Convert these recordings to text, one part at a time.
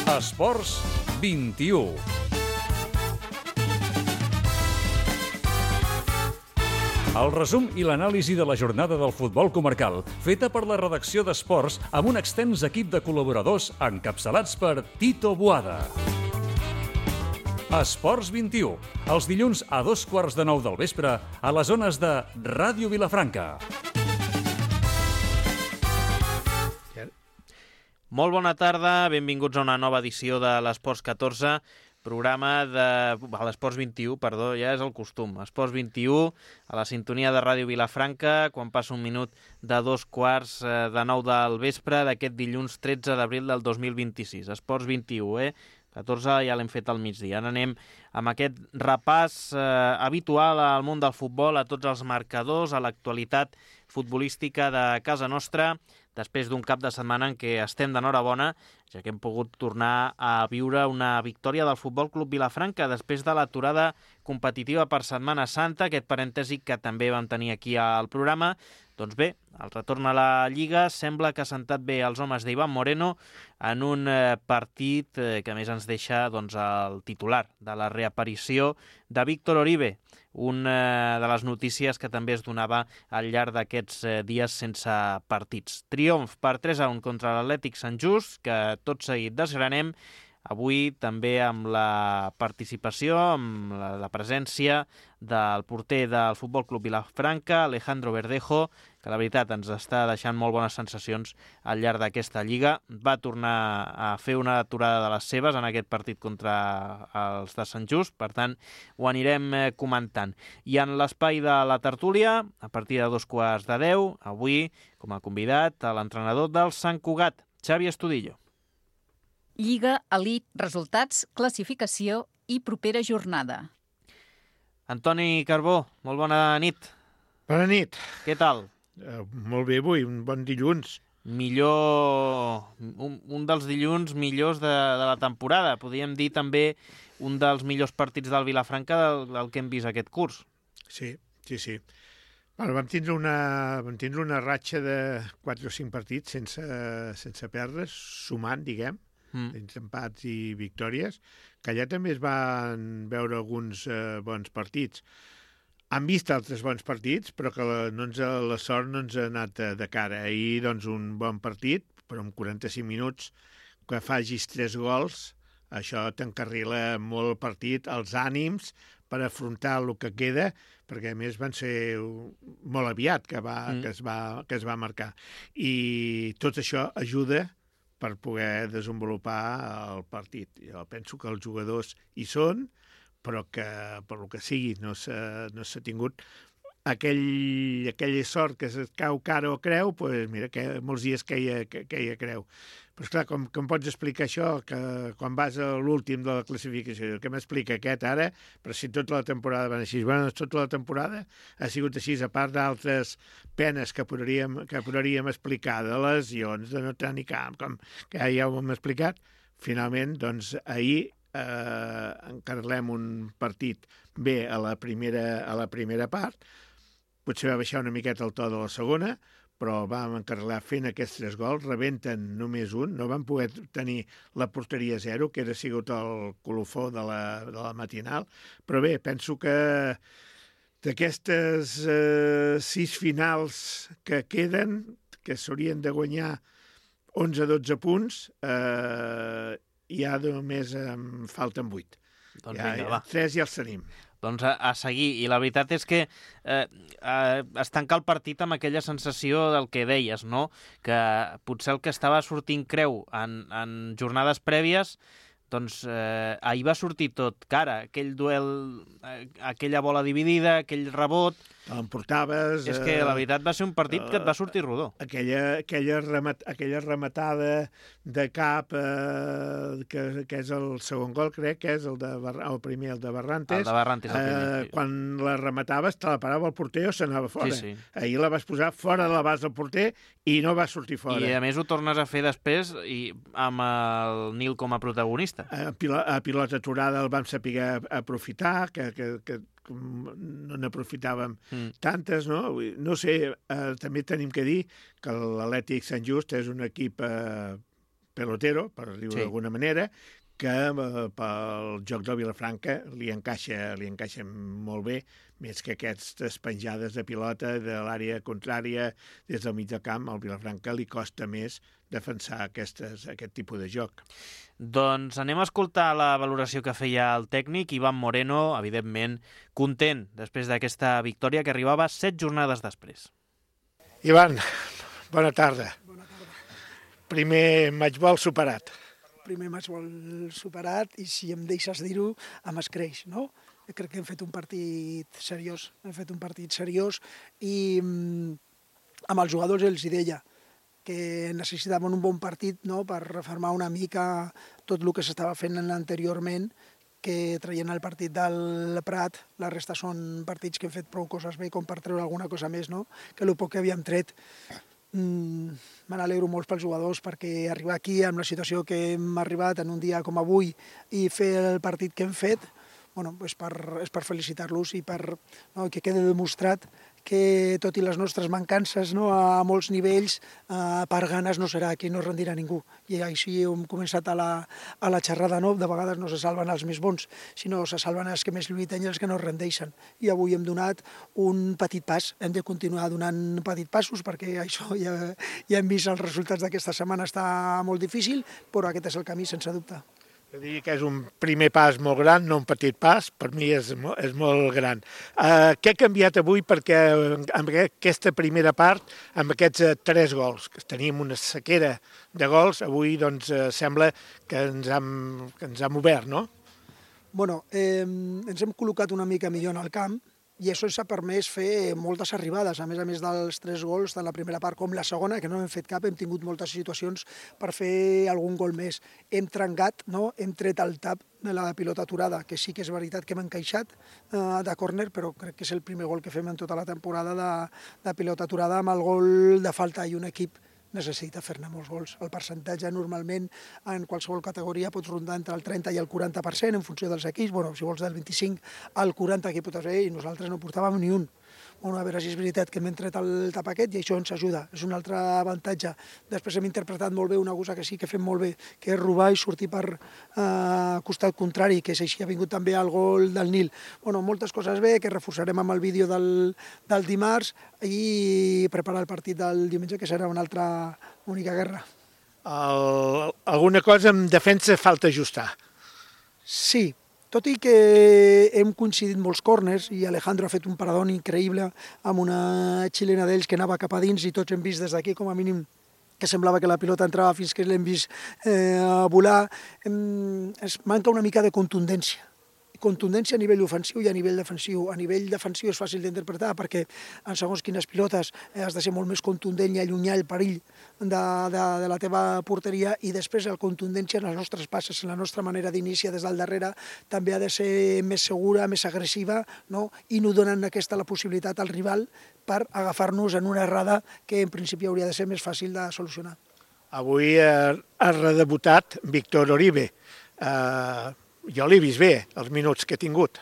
Esports 21. El resum i l'anàlisi de la jornada del futbol comarcal, feta per la redacció d'Esports amb un extens equip de col·laboradors encapçalats per Tito Boada. Esports 21, els dilluns a 8:15 del vespre a les zones de Ràdio Vilafranca. Molt bona tarda, benvinguts a una nova edició de l'Esports 14, programa de... l'Esports 21, perdó, ja és el costum. Esports 21, a la sintonia de Ràdio Vilafranca, quan passa un minut de 8:15 del vespre d'aquest dilluns 13 d'abril del 2026. Esports 21, 14 ja l'hem fet al migdia. Ara anem amb aquest repàs habitual al món del futbol, a tots els marcadors, a l'actualitat futbolística de casa nostra, després d'un cap de setmana en què estem d'enhorabona, ja que hem pogut tornar a viure una victòria del Futbol Club Vilafranca després de l'aturada competitiva per Setmana Santa, aquest parèntesi que també vam tenir aquí al programa. Doncs bé, el retorn a la Lliga sembla que ha sentat bé els homes d'Iván Moreno en un partit que a més ens deixa el titular de la reaparició de Víctor Oribe, una de les notícies que també es donava al llarg d'aquests dies sense partits. Triomf per 3-1 contra l'Atlètic Sant Just, que tot seguit desgranem, avui també amb la participació, amb la presència del porter del Futbol Club Vilafranca, Alejandro Verdejo, que la veritat ens està deixant molt bones sensacions al llarg d'aquesta Lliga. Va tornar a fer una aturada de les seves en aquest partit contra els de Sant Just, per tant ho anirem comentant. I en l'espai de la tertúlia, a partir de 9:15, avui com a convidat a l'entrenador del Sant Cugat, Xavi Estudillo. Lliga, elit, resultats, classificació i propera jornada. Antoni Carbó, molt bona nit. Bona nit. Què tal? Molt bé avui, un bon dilluns. Millor, un dels dilluns millors de la temporada. Podríem dir també un dels millors partits del Vilafranca del que hem vist aquest curs. Sí. Bueno, vam tindre una ratxa de 4 o 5 partits sense perdre's, sumant, diguem, entre empats i victòries, que allà també es van veure alguns bons partits. Han vist altres bons partits, però que la sort no ens ha anat de cara. Ahir, un bon partit, però amb 45 minuts, que facis 3 gols, això t'encarrila molt el partit, els ànims per afrontar el que queda, perquè a més van ser molt aviat que es va marcar. I tot això ajuda per poder desenvolupar el partit. Jo penso que els jugadors hi són, però que per el que sigui no s'ha tingut aquella sort que es cau cara o creu, doncs mira, que molts dies queia creu. Però esclar, com pots explicar això, que quan vas a l'últim de la classificació, què m'explica aquest ara? Però si tota la temporada van així. Bueno, tota la temporada ha sigut així, a part d'altres penes que podríem explicar, de lesions, de no tenir camp, com que ja ho hem explicat. Finalment, ahir encarrilem un partit bé a la primera part, potser va baixar una miqueta el to de la segona, però vam encarrilar fent aquests 3 gols, rebenten només un, no vam poder tenir la porteria 0, que era sigut el colofó de la matinal, però bé, penso que d'aquestes 6 finals que queden, que s'haurien de guanyar 11-12 punts, ja només en falten 8. Doncs vinga, va. 3 ja els tenim. Doncs a seguir, i la veritat és que es tanca el partit amb aquella sensació del que deies, no? Que potser el que estava sortint creu en jornades prèvies, doncs ahir va sortir tot cara, aquell duel, aquella bola dividida, aquell rebot. L'emportaves... És que la veritat va ser un partit que et va sortir rodó. Aquella rematada de cap, que és el segon gol, crec que és el primer, el de Barrantes. El de Barrantes, el primer. Sí. Quan la remataves, te la parava el porter o s'anava fora. Sí. Ahir la vas posar fora de l'abast del porter i no va sortir fora. I a més ho tornes a fer després amb el Nil com a protagonista. A pilota aturada el vam saber aprofitar, que no n'aprofitàvem tantes, no? No sé, també tenim que dir que l'Atlètic Sant Just és un equip pelotero, per dir-ho d'alguna manera, que pel joc del Vilafranca li encaixa molt bé, més que aquestes penjades de pilota de l'àrea contrària des del mig del camp. Al Vilafranca li costa més defensar aquest tipus de joc. Doncs anem a escoltar la valoració que feia el tècnic Iván Moreno, evidentment content després d'aquesta victòria que arribava 7 jornades després. Ivan, bona tarda. Bona tarda. Primer matchball superat. Primer matchball superat i, si em deixes dir-ho, amb escreix, no? Crec que hem fet un partit seriós, i amb els jugadors els hi deia que necessitaven un bon partit, no?, per refermar una mica tot el que s'estava fent anteriorment, que traient el partit del Prat, la resta són partits que hem fet prou coses bé com per treure alguna cosa més, no?, que el poc que havíem tret. Me n'alegro molt pels jugadors, perquè arribar aquí amb la situació que hem arribat en un dia com avui i fer el partit que hem fet, és per felicitar-los i que quede demostrat que, tot i les nostres mancances a molts nivells, per ganes no serà, que no rendirà ningú. I així hem començat a la xerrada, no? De vegades no se salven els més bons, sinó se salven els que més lluiten i els que no rendeixen. I avui hem donat un petit pas, hem de continuar donant petits passos, perquè això ja hem vist els resultats d'aquesta setmana, està molt difícil, però aquest és el camí, sense dubte. Jo diria que és un primer pas molt gran, no un petit pas, per mi és molt gran. Què ha canviat avui perquè en aquesta primera part, amb aquests 3 gols, que teníem una sequera de gols, avui doncs sembla que ens hem obert, no? Ens hem col·locat una mica millor en el camp, i això ens ha permès fer moltes arribades, a més dels 3 gols, tant la primera part com la segona, que no hem fet cap, hem tingut moltes situacions per fer algun gol més. Hem trencat, no? Hem tret el tap de la pilota aturada, que sí que és veritat que hem encaixat de córner, però crec que és el primer gol que fem en tota la temporada de pilota aturada, amb el gol de falta, i un equip necessita fer-ne molts gols. El percentatge normalment en qualsevol categoria pot rondar entre el 30 i el 40% en funció dels equips. Si vols del 25 al 40 que pot haver, i nosaltres no portàvem ni un. A veure si és veritat que hem tret el tap aquest i això ens ajuda, és un altre avantatge. Després hem interpretat molt bé una cosa que sí que fem molt bé, que és robar i sortir per costat contrari, que és així, ha vingut també el gol del Nil. Moltes coses bé, que reforçarem amb el vídeo del dimarts, i preparar el partit del diumenge, que serà una altra única guerra. Alguna cosa en defensa falta ajustar? Sí. Tot i que hem coincidit molts córners, i Alejandro ha fet un paradón increïble amb una xilena d'ells que anava cap a dins, i tots hem vist des d'aquí, com a mínim, que semblava que la pilota entrava fins que l'hem vist volar. Es manca una mica de contundència a nivell ofensiu i a nivell defensiu. A nivell defensiu és fàcil d'interpretar, perquè en segons quines pilotes has de ser molt més contundent i allunyar el perill de la teva porteria, i després la contundència en les nostres passes, en la nostra manera d'iniciar des del darrere, també ha de ser més segura, més agressiva, no? I no donen la possibilitat al rival per agafar-nos en una errada que en principi hauria de ser més fàcil de solucionar. Avui ha redebutat Víctor Oribe. Jo l'he vist bé, els minuts que ha tingut.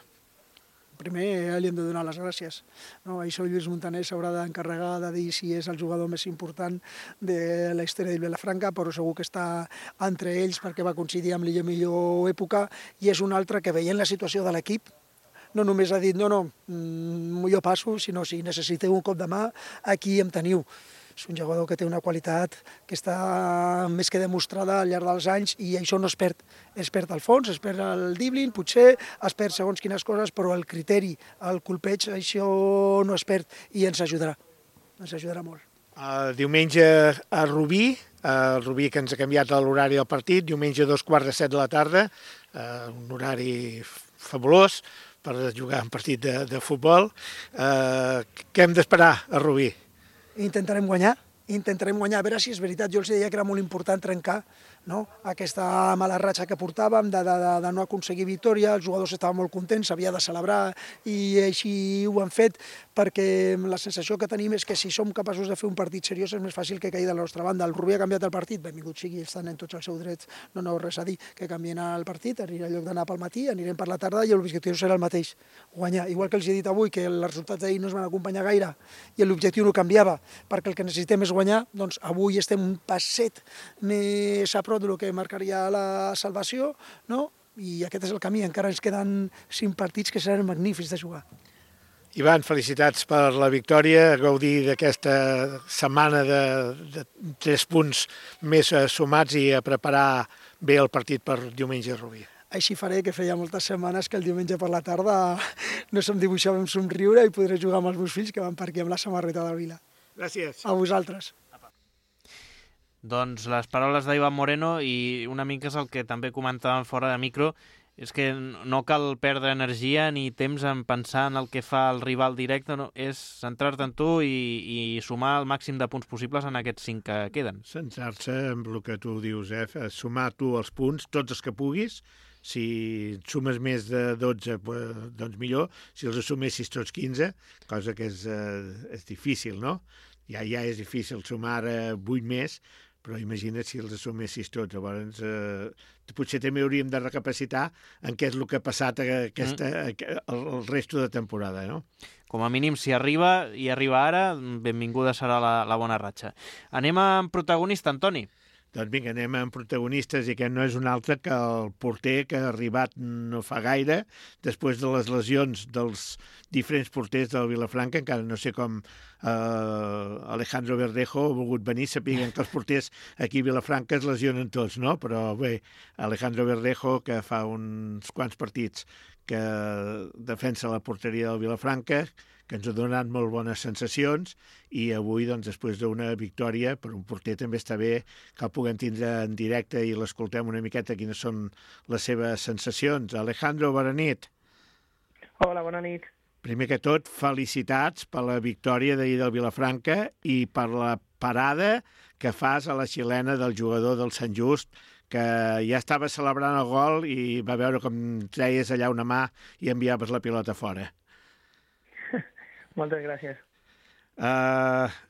Primer li hem de donar les gràcies. Això Lluís Montaner s'haurà d'encarregar de dir si és el jugador més important de la història del Vilafranca, però segur que està entre ells perquè va coincidir amb la millor època, i és un altre que, veient la situació de l'equip, no només ha dit jo passo, sinó si necessiteu un cop de mà, aquí em teniu. És un jugador que té una qualitat que està més que demostrada al llarg dels anys, i això no es perd. Es perd el fons, es perd el dribbling, potser es perd segons quines coses, però el criteri, el colpeig, això no es perd, i ens ajudarà. Ens ajudarà molt. Diumenge a Rubí, el Rubí que ens ha canviat l'horari del partit, diumenge a 7:15 de la tarda, un horari fabulós per jugar un partit de futbol. Què hem d'esperar a Rubí? Intentarem guanyar, a veure si és veritat. Jo els deia que era molt important trencar aquesta mala ratxa que portàvem de no aconseguir victòria. Els jugadors estaven molt contents, s'havia de celebrar, i així ho han fet, perquè la sensació que tenim és que si som capaços de fer un partit seriós és més fàcil que caigui de la nostra banda. El Rubí ha canviat el partit, benvingut sigui, estan en tots els seus drets, no res a dir, que canvien el partit, en lloc d'anar pel matí, anirem per la tarda, i l'objectiu serà el mateix, guanyar. Igual que els he dit avui, que els resultats d'ahir no es van acompanyar gaire, i l'objectiu no canviava, perquè el que necessitem és guanyar, doncs avui estem un passet més a prop del que marcaria la salvació, no? I aquest és el camí, encara ens queden 5 partits que seran magnífics de jugar. Ivan, felicitats per la victòria, gaudir d'aquesta setmana de 3 punts més sumats i a preparar bé el partit per diumenge a Rubí. Així faré, que feia moltes setmanes que el diumenge per la tarda no se'm dibuixava un somriure i podré jugar amb els meus fills que van per aquí amb la samarreta del Vila. Gràcies. A vosaltres. Doncs les paraules d'Ivan Moreno i una mica és el que també comentàvem fora de micro, és que no cal perdre energia ni temps en pensar en el que fa el rival directe, no? És centrar-te en tu i sumar el màxim de punts possibles en aquests 5 que queden. Centrar-se en el que tu dius, sumar tu els punts, tots els que puguis. Si sumes més de 12, doncs millor. Si els sumessis tots 15, cosa que és difícil, no? Ja és difícil sumar 8 més, però imagina't si els assumessis tots. Llavors, potser també hauríem de recapacitar en què és el que ha passat el resto de temporada, no? Com a mínim, si arriba i arriba ara, benvinguda serà la bona ratxa. Anem amb protagonista, Antoni. Doncs vinga, anem amb protagonistes i aquest no és un altre que el porter que ha arribat no fa gaire, després de les lesions dels diferents porters del Vilafranca, encara no sé com Alejandro Verdejo ha volgut venir, sapiguen que els porters aquí a Vilafranca es lesionen tots, no? Però bé, Alejandro Verdejo, que fa uns quants partits que defensa la porteria del Vilafranca, que ens ha donat molt bones sensacions, i avui, doncs, després d'una victòria, per un porter també està bé que el puguem tindre en directe i l'escoltem una miqueta quines són les seves sensacions. Alejandro, bona nit. Hola, bona nit. Primer que tot, felicitats per la victòria d'ahir del Vilafranca i per la parada que fas a la xilena del jugador del Sant Just, que ja estava celebrant el gol i va veure com treies allà una mà i enviaves la pilota fora. Moltes gràcies.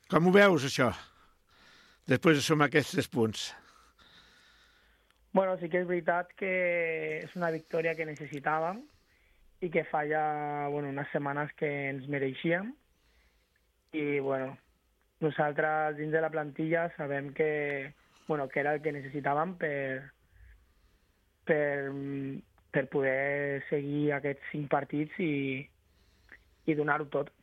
Com ho veus, això? Després de sumar aquests 3 punts. Bueno, sí que és veritat que és una victòria que necessitàvem i que fa ja unes setmanes que ens mereixíem. I, nosaltres dins de la plantilla sabem que era el que necessitàvem per poder seguir aquests 5 partits i donar-ho tot.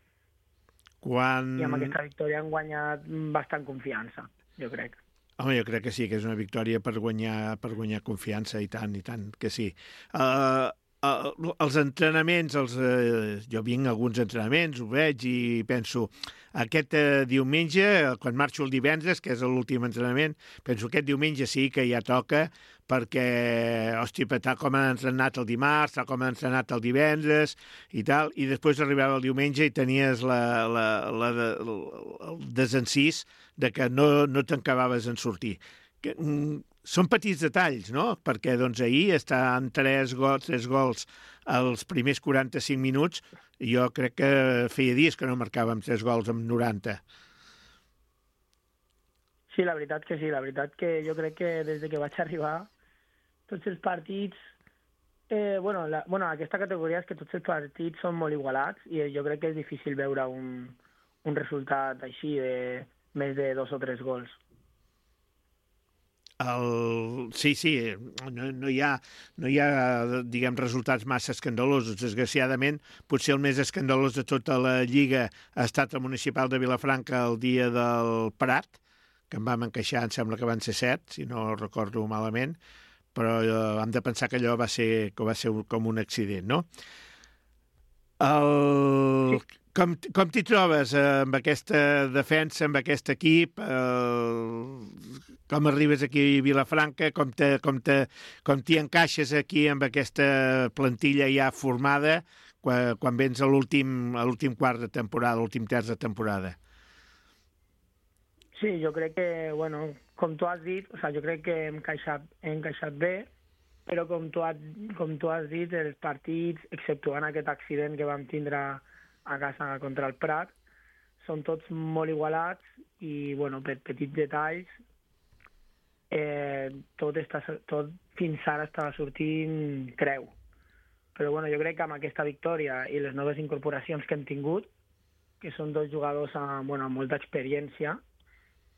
I amb aquesta victòria hem guanyat bastant confiança, jo crec. Home, jo crec que sí, que és una victòria per guanyar confiança, i tant que sí. Els entrenaments, jo vinc a alguns entrenaments, ho veig i penso, aquest diumenge, quan marxo el divendres, que és l'últim entrenament, penso aquest diumenge sí que ja toca, perquè, hòstia, tal com han entrenat el dimarts, tal com han entrenat el divendres i tal, i després arribava el diumenge i tenies el desencís de que no t'acabaves en sortir. Són petits detalls, no? Perquè ahir estan 3 gols als primers 45 minuts, i jo crec que feia dies que no marcàvem 3 gols en 90. Sí, la veritat que sí. La veritat que jo crec que des que vaig arribar, tots els partits... aquesta categoria és que tots els partits són molt igualats i jo crec que és difícil veure un resultat així de més de 2 o 3 gols. Sí, no hi ha diguem, resultats massa escandalosos. Desgraciadament, potser el més escandalós de tota la Lliga ha estat el Municipal de Vilafranca el dia del Prat, que en vam encaixar, em sembla que van ser 7, si no recordo malament, però hem de pensar que allò va ser com un accident, no? Com t'hi trobes amb aquesta defensa, amb aquest equip? Com arribes aquí a Vilafranca? Com t'hi encaixes aquí amb aquesta plantilla ja formada quan vens a l'últim quart de temporada, l'últim terç de temporada? Sí, jo crec que, com tu has dit, jo crec que hem encaixat bé, però com tu has dit, els partits, exceptuant aquest accident que vam tindre a casa contra el Prat, són tots molt igualats i, per petits detalls, tot fins ara estava sortint creu. Però, jo crec que amb aquesta victòria i les noves incorporacions que hem tingut, que són 2 jugadors amb molta experiència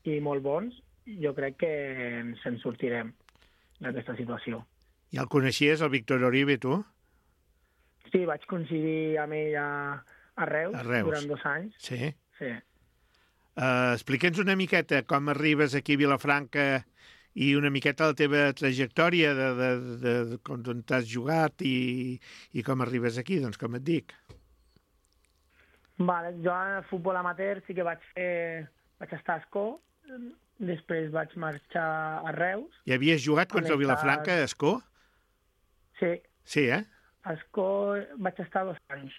i molt bons, jo crec que ens en sortirem d'aquesta situació. I el coneixies, el Víctor Oribe, tu? Sí, vaig coincidir amb ell a Reus, durant 2 anys. Sí. Sí. Explica'ns una miqueta com arribes aquí a Vilafranca i una miqueta la teva trajectòria de on t'has jugat i com arribes aquí, doncs com et dic. Vale, jo a futbol amateur sí que vaig estar a Escó, després vaig marxar a Reus. I havies jugat contra el Vilafranca a Escó? Sí. Sí, eh? A Escó vaig estar 2 anys.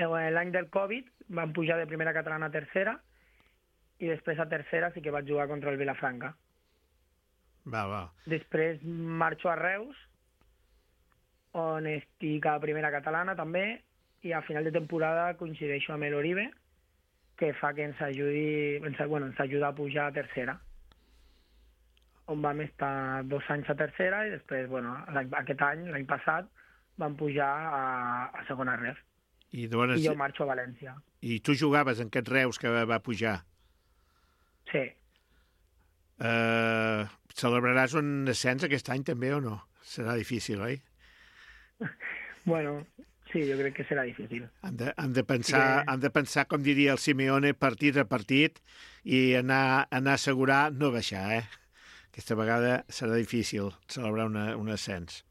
L'any del Covid vam pujar de primera catalana a tercera i després a tercera sí que vaig jugar contra el Vilafranca. Va. Després marxo a Reus, on estic a primera catalana també, i a final de temporada coincideixo amb l'Oribe, que fa que ens ajuda a pujar a tercera, on vam estar 2 anys a tercera i després, aquest any, l'any passat, vam pujar a segona ref. I jo marxo a València. I tu jugaves en aquest Reus que va pujar? Sí. Celebraràs un ascens aquest any també o no? Serà difícil, oi? Bueno, sí, jo crec que serà difícil. Han de pensar, com diria el Simeone, partit a partit i anar a assegurar no baixar, eh? Aquesta vegada serà difícil celebrar un ascens.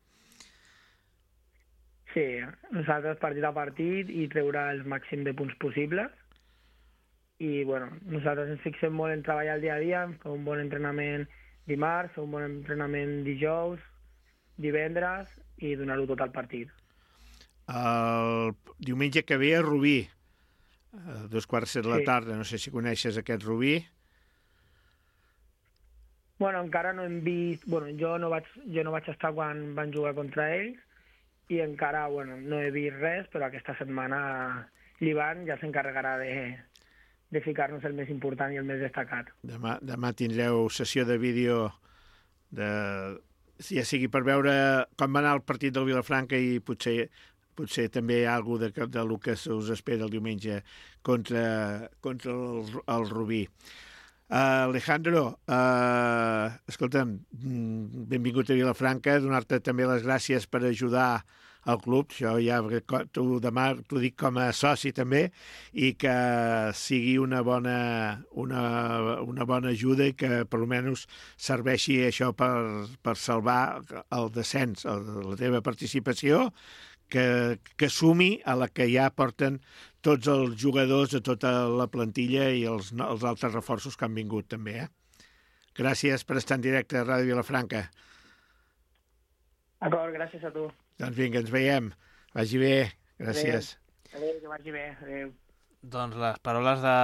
Sí, nosaltres partit a partit i treure el màxim de punts possibles. I, nosaltres ens fixem molt en treballar el dia a dia, fer un bon entrenament dimarts, fer un bon entrenament dijous, divendres i donar-ho tot al partit. El diumenge que ve a Rubí, a 2:15 de la tarda, no sé si coneixes aquest Rubí. Encara no hem vist... Jo no vaig estar quan van jugar contra ells i encara no he vist res, però aquesta setmana l'Ivan ja s'encarregarà de ficar-nos el més important i el més destacat. Demà tindreu sessió de vídeo ja sigui per veure com va anar el partit del Vilafranca i potser també hi ha alguna cosa del que us espera el diumenge contra el Rubí. Alejandro, escolta'm, benvingut a Vilafranca, donar-te també les gràcies per ajudar al club, això ja demà t'ho dic com a soci també, i que sigui una bona ajuda i que per almenys serveixi això per salvar el descens, la teva participació, que sumi a la que ja porten tots els jugadors de tota la plantilla i els altres reforços que han vingut també. Gràcies per estar en directe a Ràdio Vilafranca. D'acord, gràcies a tu. Doncs vinga, ens veiem. Vagi bé. Gràcies. Adéu, que vagi bé. Adéu. Doncs les paraules de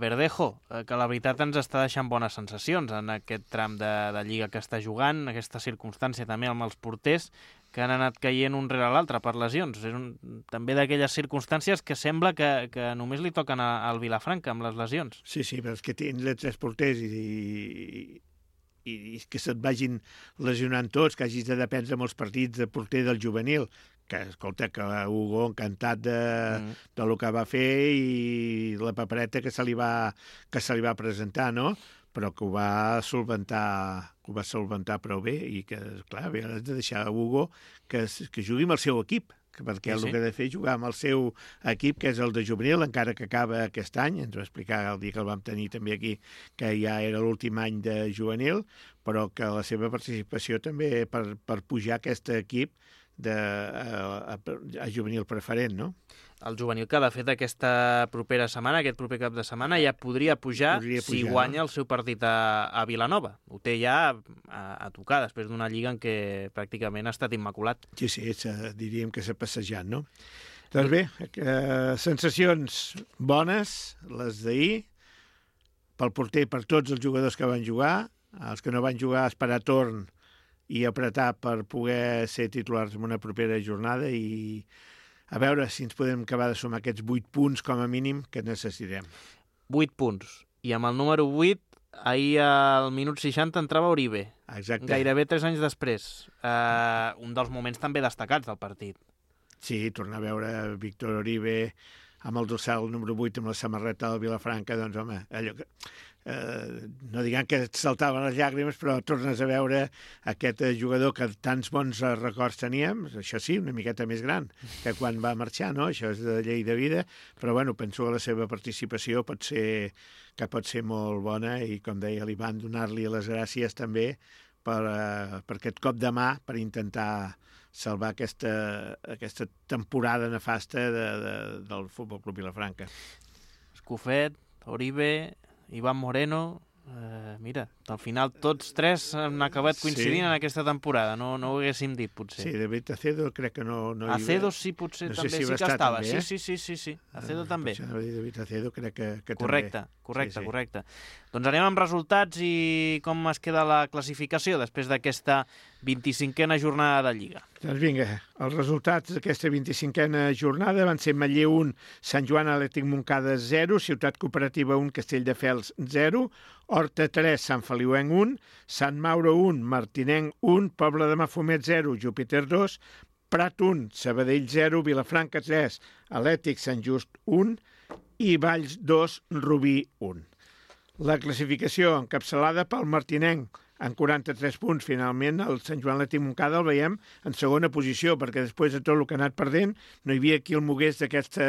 Verdejo, que la veritat ens està deixant bones sensacions en aquest tram de Lliga que està jugant, aquesta circumstància també amb els porters que han anat caient un rere l'altre per lesions. És també d'aquelles circumstàncies que sembla que només li toquen al Vilafranca amb les lesions. Sí, però és que tindre 3 porters i que se't vagin lesionant tots, que hagis de dependre molts partits de porter del juvenil, que, escolta, que Hugo encantat de lo que va fer i la papereta que se li va presentar, no? Però que ho va solventar prou bé i que, clar, has de deixar a Hugo que jugui amb el seu equip, perquè el que ha de fer és jugar amb el seu equip, que és el de juvenil, encara que acaba aquest any. Ens va explicar el dia que el vam tenir també aquí, que ja era l'últim any de juvenil, però que la seva participació també per pujar aquest equip a juvenil preferent, no? El juvenil que, de fet, aquesta propera setmana, aquest proper cap de setmana, ja podria pujar si guanya el seu partit a Vilanova. Ho té ja a tocar, després d'una lliga en què pràcticament ha estat immaculat. Sí, diríem que s'ha passejat, no? Doncs bé, sensacions bones, les d'ahir, pel porter, per tots els jugadors que van jugar, els que no van jugar, esperar torn i apretar per poder ser titulars en una propera jornada i a veure si ens podem acabar de sumar aquests 8 punts com a mínim que necessitem. 8 punts. I amb el número 8, ahir al minut 60 entrava Oribe. Exacte. Gairebé 3 anys després. Un dels moments també destacats del partit. Sí, tornar a veure Víctor Oribe amb el dorsal número 8 amb la samarreta del Vilafranca, doncs home, allò que no diguem que et saltaven les llàgrimes, però tornes a veure aquest jugador que tants bons records teníem, això sí, una miqueta més gran que quan va marxar, no? Això és de llei de vida, però bueno, penso que la seva participació pot ser molt bona i, com deia l'Ivan, donar-li les gràcies també per aquest cop de mà per intentar salvar aquesta temporada nefasta del Futbol Club Vilafranca. Escofet, Oribe, Iván Moreno, mira, al final tots tres han acabat coincidint en aquesta temporada, no ho haguéssim dit, potser. Sí, David Acedo crec que no... Acedo sí, potser no sé també si sí que estava. També, Sí. Acedo també. David Acedo crec que correcte, també. Correcte. Doncs anem amb resultats i com es queda la classificació després d'aquesta 25a jornada de Lliga. Doncs vinga, els resultats d'aquesta 25a jornada van ser Manlleu 1, Sant Joan Atlètic Montcada 0, Ciutat Cooperativa 1, Castelldefels 0, Horta 3, Sant Feliuenc 1, Sant Mauro 1, Martinenc 1, Pobla de Mafumet 0, Júpiter 2, Prat 1, Sabadell 0, Vilafranca 3, Atlètic Sant Just 1 i Valls 2, Rubí 1. La classificació encapçalada pel Martinenc en 43 punts. Finalment, el Sant Joan Atlètic Montcada el veiem en segona posició, perquè després de tot el que ha anat perdent no hi havia qui el mogués d'aquest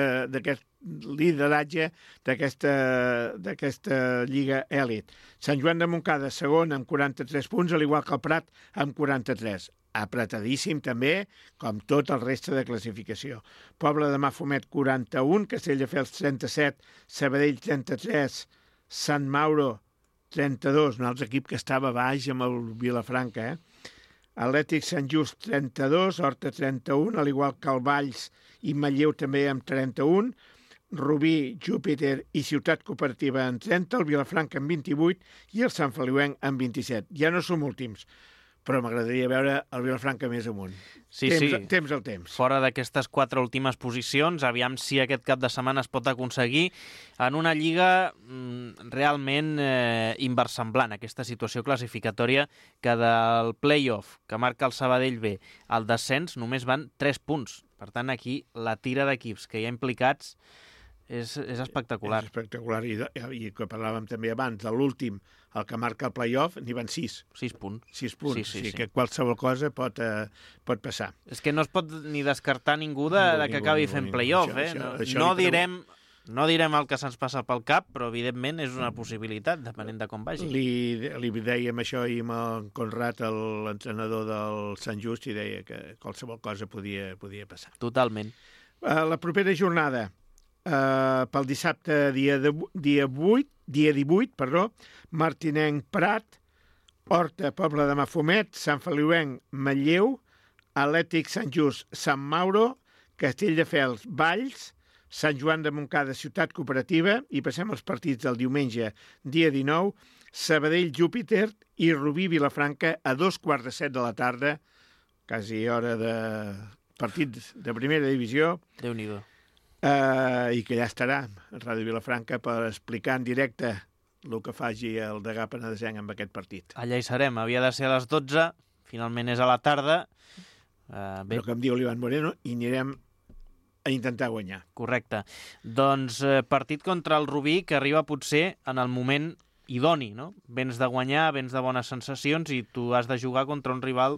lideratge d'aquesta Lliga Èlit. Sant Joan de Montcada, segon, amb 43 punts, al igual que el Prat, amb 43. Apretadíssim també, com tot el reste de classificació. Pobla de Mafumet, 41, Castelldefels, 37, Sabadell, 33, Sant Mauro, 32, un altre equip que estava baix amb el Vilafranca, Atlètic Sant Just, 32, Horta, 31, al igual que el Valls i Manlleu també amb 31, Rubí, Júpiter i Ciutat Cooperativa en 30, el Vilafranca en 28 i el Sant Feliuenc en 27. Ja no som últims, però m'agradaria veure el Vilafranca més amunt. Sí. Temps al temps. Fora d'aquestes 4 últimes posicions, aviam si aquest cap de setmana es pot aconseguir en una lliga realment inversemblant, aquesta situació classificatòria que del play-off que marca el Sabadell B al descens només van 3 punts. Per tant, aquí la tira d'equips que hi ha implicats és espectacular. És espectacular, i que parlàvem també abans, de l'últim, el que marca el play-off, n'hi van 6. 6 punts. 6 punts, sí. Que qualsevol cosa pot passar. És que no es pot ni descartar ningú que acabi fent play-off. No direm el que se'ns passa pel cap, però evidentment és una possibilitat, depenent de com vagi. Li dèiem això ahir amb el Conrad, l'entrenador del Sant Just, i deia que qualsevol cosa podia passar. Totalment. La propera jornada, pel dissabte dia 18, Martinenc Prat, Horta Pobla de Mafumet, Sant Feliuenc Manlleu, Atlètic Sant Just Sant Mauro, Castelldefels Valls, Sant Joan de Montcada Ciutat Cooperativa, i passem als partits del diumenge dia 19, Sabadell Júpiter i Rubí Vilafranca a 2:15 de la tarda, quasi hora de partit de primera divisió. Déu-n'hi-do. I que ja estarà Ràdio Vilafranca per explicar en directe el que faci el degà penedesenc amb aquest partit. Allà hi serem, havia de ser a les 12, finalment és a la tarda. Però com diu l'Ivan Moreno, hi anirem a intentar guanyar. Correcte. Doncs partit contra el Rubí que arriba potser en el moment idoni, no? Vens de guanyar, vens de bones sensacions i tu has de jugar contra un rival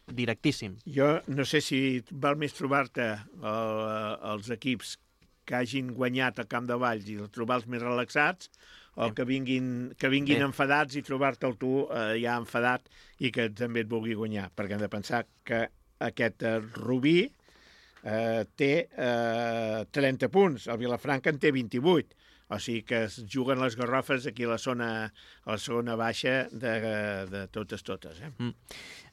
directíssim. Jo no sé si val més trobar-te els equips que hagin guanyat al Camp de Valls i trobar-los més relaxats, o que vinguin enfadats i trobar-te'l tu ja enfadat i que també et vulgui guanyar, perquè hem de pensar que aquest Rubí té 30 punts, el Vilafranca en té 28, o sigui que es juguen les garrofes aquí a la segona baixa de totes.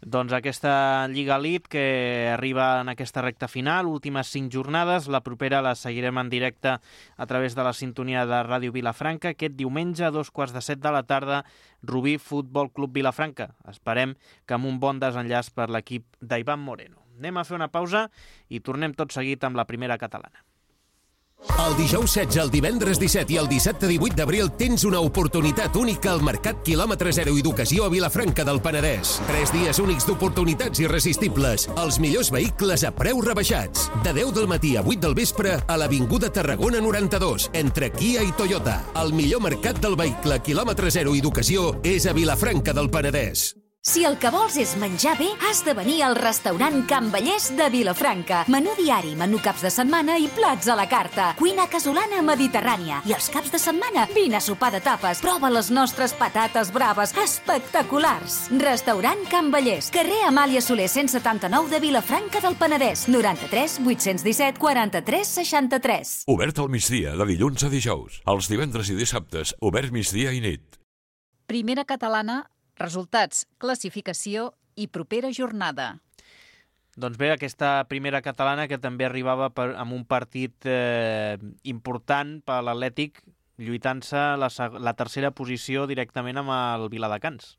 Doncs aquesta Lliga Elite que arriba en aquesta recta final, últimes 5 jornades, la propera la seguirem en directe a través de la sintonia de Ràdio Vilafranca, aquest diumenge a 2:15 de la tarda, Rubí Futbol Club Vilafranca. Esperem que amb un bon desenllaç per l'equip d'Ivan Moreno. Anem a fer una pausa i tornem tot seguit amb la primera catalana. El dijous 16, el divendres 17 i el dissabte 18 d'abril tens una oportunitat única al Mercat Quilòmetre Zero Educació a Vilafranca del Penedès. 3 dies únics d'oportunitats irresistibles. Els millors vehicles a preus rebaixats. De 10 del matí a 8 del vespre a l'Avinguda Tarragona 92, entre Kia i Toyota. El millor mercat del vehicle Quilòmetre Zero Educació és a Vilafranca del Penedès. Si el que vols és menjar bé, has de venir al restaurant Can Vallès de Vilafranca. Menú diari, menú caps de setmana i plats a la carta. Cuina casolana mediterrània. I els caps de setmana, vine a sopar de tapes. Prova les nostres patates braves, espectaculars. Restaurant Can Vallès, carrer Amàlia Soler 179 de Vilafranca del Penedès. 93 817 43 63. Obert al migdia, de dilluns a dijous. Els divendres i dissabtes, obert migdia i nit. Primera catalana, resultats, classificació i propera jornada. Doncs bé, aquesta primera catalana que també arribava amb un partit important per l'Atlètic, lluitant-se la tercera posició directament amb el Viladecans.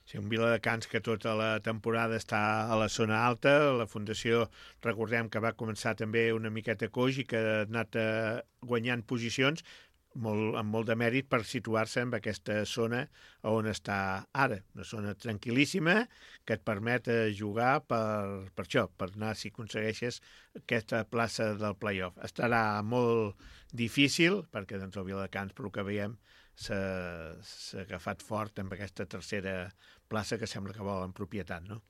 Sí, un Viladecans que tota la temporada està a la zona alta. La Fundació, recordem que va començar també una miqueta coix i que ha anat guanyant posicions, amb molt de mèrit per situar-se en aquesta zona on està ara. Una zona tranquil·líssima que et permet jugar per això, per anar, si aconsegueixes, aquesta plaça del play-off. Estarà molt difícil, perquè doncs, el Viladecans, pel que veiem, s'ha agafat fort amb aquesta tercera plaça que sembla que vol en propietat, no?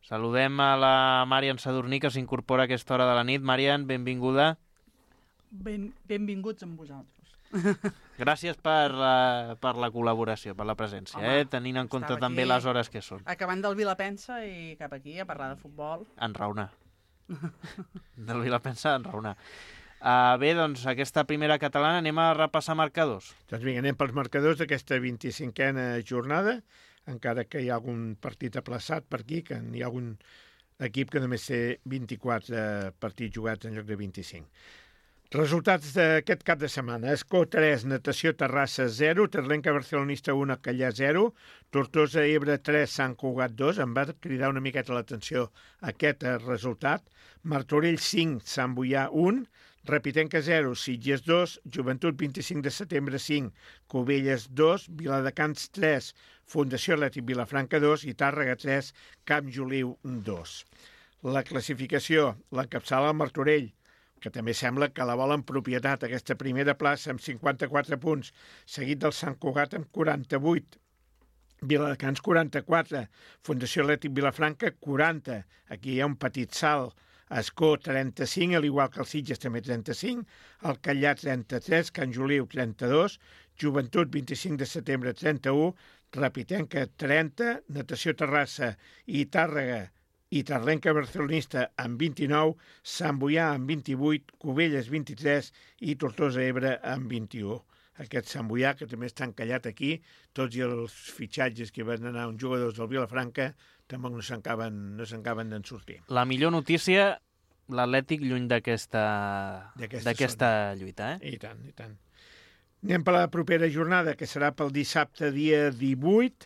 Saludem a la Marian Sadurní, que s'incorpora a aquesta hora de la nit. Marian, benvinguda. Benvinguts amb vosaltres. Gràcies per la col·laboració, per la presència, tenint en compte també les hores que són. Acabant del Vilapensa i cap aquí a parlar de futbol. Enraonar. Del Vilapensa, enraonar. Bé, doncs, aquesta primera catalana, anem a repassar marcadors. Doncs vinga, anem pels marcadors d'aquesta 25a jornada, encara que hi ha algun partit aplaçat per aquí, que hi ha algun equip que només té 24 partits jugats en lloc de 25. Resultats d'aquest cap de setmana. Escó 3, Natació Terrassa 0, Terlenca Barcelonista 1, Callà 0, Tortosa Ebre 3, Sant Cugat 2, em va cridar una miqueta l'atenció aquest resultat, Martorell 5, Sant Boià 1, Repitenca 0, Sitges 2, Joventut 25 de setembre 5, Cubelles 2, Viladecans 3, Fundació Atlètic Vilafranca 2 i Tàrrega 3, Camp Joliu 2. La classificació, l'encapçala el Martorell, que també sembla que la vol en propietat, aquesta primera plaça amb 54 punts, seguit del Sant Cugat amb 48, Viladecans 44, Fundació Atlètic Vilafranca 40, aquí hi ha un petit salt, Escó 35, al igual que el Sitges també 35, el Callà 33, Can Joliu 32, Joventut 25 de setembre 31, Repitenca 30, Natació Terrassa i Tàrrega i Terlenca Barcelonista amb 29, Sant Boià amb 28, Cubelles 23 i Tortosa Ebre amb 21. Aquest Sant Boià, que també està encallat aquí, tots i els fitxatges que van anar uns jugadors del Vilafranca tampoc no s'encaben d'en sortir. La millor notícia, l'Atlètic lluny d'aquesta lluita, I tant, i tant. Anem per la propera jornada, que serà pel dissabte, dia 18,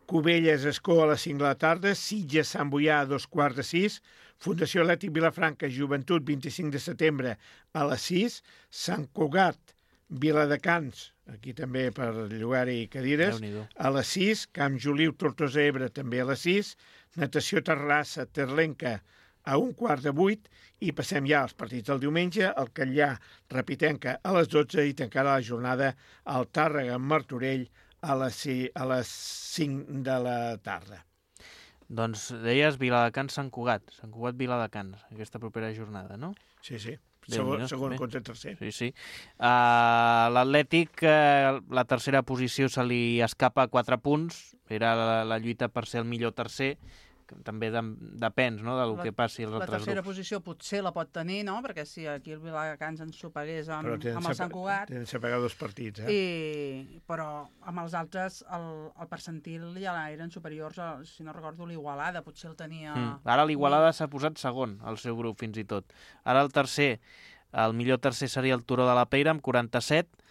Cubelles, Escó a les 5 de la tarda, Sitges, Sant Boià a 5:15, Fundació Atlètic Vilafranca, Joventut, 25 de setembre a les 6, Sant Cugat, Viladecans, aquí també per llogar-hi cadires, a les 6, Camp Joliu, Tortosa Ebre, també a les 6, Natació Terrassa, Terlenca, a 7:15, i passem ja als partits del diumenge, el Callà, Repitenca, a les 12, i tancarà la jornada al Tàrrega, Martorell, a les 5 de la tarda. Doncs deies Viladecans, Sant Cugat, Viladecans, aquesta propera jornada, no? Sí. Segon contra tercer. Sí. L'Atlètic, la tercera posició se li escapa 4 punts, era la lluita per ser el millor tercer, que també depèn, no?, del que passi als altres grups. La tercera posició potser la pot tenir, no?, perquè si aquí el Viladecans ens superés amb el Sant Cugat... Tenen separar 2 partits, Però amb els altres el percentil ja eren superiors, si no recordo, l'Igualada, potser el tenia... Ara l'Igualada s'ha posat segon, al seu grup, fins i tot. Ara el millor tercer seria el Turó de la Peira, amb 47,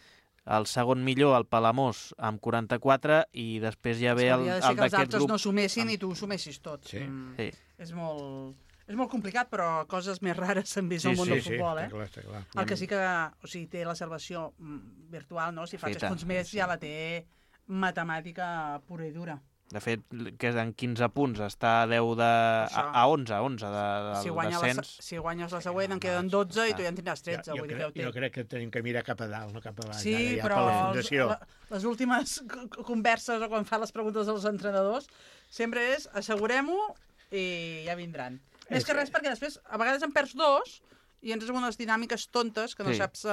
el segon millor, el Palamós, amb 44, i després ja ve el d'aquest grup... que els altres no sumessin i tu sumessis tot. Sí. És molt... És molt complicat, però coses més rares s'han vist al món del futbol, eh? Està clar. El que sí que, o sigui, té la salvació virtual, no? Si fa 3 punts més ja la té matemàtica pura i dura. De fet, que en 15 punts està a 10 a 11 del descens. Si guanyes la següent en queden 12 i tu ja en tindràs 13. Jo crec que tenim que mirar cap a dalt, no cap a baix. Sí, però les últimes converses o quan fan les preguntes als entrenadors sempre és assegurem-ho i ja vindran. Més que res perquè després a vegades en perds 2 i entres en unes dinàmiques tontes que no saps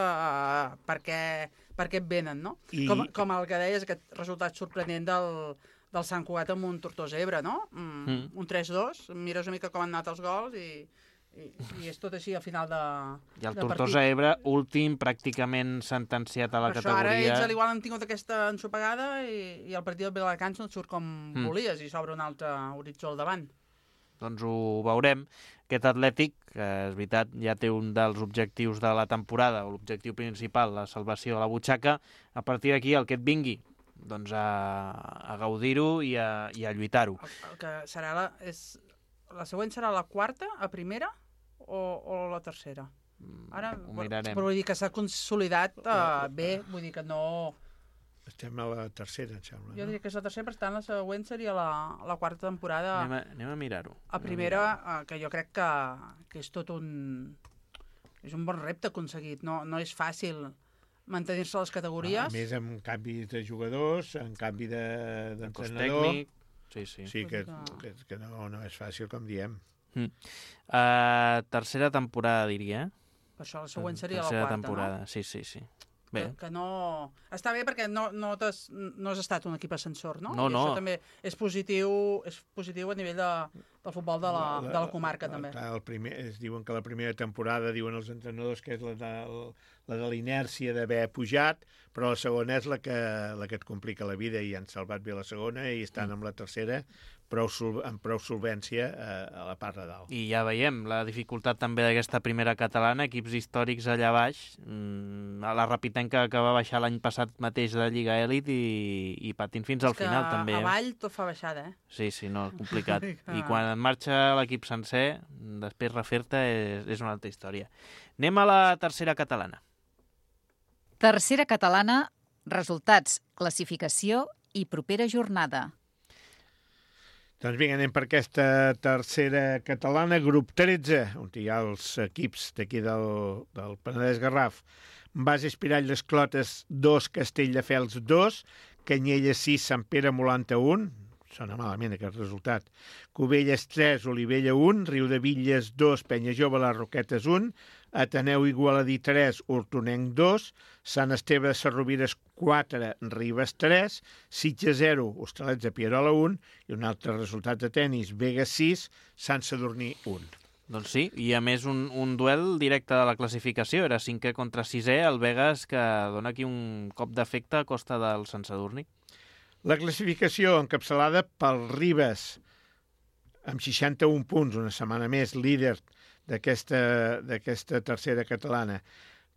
per què et venen, no? Com el que deies, aquest resultat sorprenent del Sant Cugat amb un Tortosa Ebre, no? Un 3-2, mires una mica com han anat els gols i és tot així al final de I el Tortosa Ebre, últim, pràcticament sentenciat a la categoria. Ara ells al igual han tingut aquesta ensopegada i el partit del Viladecans no et surt com volies i s'obre un altre horitzó al davant. Doncs ho veurem. Aquest Atlètic, que és veritat, ja té un dels objectius de la temporada, o l'objectiu principal, la salvació a la butxaca. A partir d'aquí, el que et vingui, doncs a gaudir-ho i a lluitar-ho. El que serà la següent serà la quarta, a primera, o la tercera? Ara, ho mirarem. Però vull dir que s'ha consolidat bé, vull dir que no... Estem a la tercera, em sembla. Jo diria que és la tercera, per tant la següent seria la quarta temporada. Anem a mirar-ho. A primera, que jo crec que és tot un... És un bon repte aconseguit, no és fàcil mantenir-se a les categories. A més, amb canvis de jugadors, amb canvi d'entrenador... tècnic. Sí, que no és fàcil, com diem. Tercera temporada, diria. Per això la següent seria la quarta, temporada. No? Sí. Bé. Que no... Està bé perquè no has estat un equip ascensor, no? No. I això també és positiu a nivell del futbol de la comarca, també. Es diuen que la primera temporada, diuen els entrenadors, que és la de l'inèrcia d'haver pujat, però la segona és la que et complica la vida i han salvat bé la segona i estan amb la tercera amb prou solvència a la part de dalt. I ja veiem la dificultat també d'aquesta primera catalana, equips històrics allà baix, a la Rapitenca que va baixar l'any passat mateix de Lliga Elit i patint fins al final també. A Vall tot fa baixada, eh? Sí, complicat. I quan marxa l'equip sencer, després refer-te és una altra història. Anem a la tercera catalana. Tercera catalana, resultats, classificació i propera jornada. Doncs vinga, anem per aquesta tercera catalana, grup 13, on hi ha els equips d'aquí del Penedès Garraf. Base Espirall d'Esclotes 2, Castelldefels 2, Canyelles 6, Sant Pere Molanta 1, sona malament aquest resultat, Cubelles 3, Olivella 1, Riudebitlles 2, Penyajove Les Roquetes 1, Ateneu Igualadí 3, Hortonenc 2, Sant Esteve de Sarrovires 4, Ribes 3, Sitges 0, Hostalets de Pierola 1 i un altre resultat de tennis, Vegas 6, Sant Sadurní 1. Doncs sí, i a més un duel directe de la classificació, era 5è contra 6è, el Vegas que dona aquí un cop d'efecte a costa del Sant Sadurní. La classificació encapçalada pel Ribes, amb 61 punts, una setmana més, líder d'aquesta tercera catalana.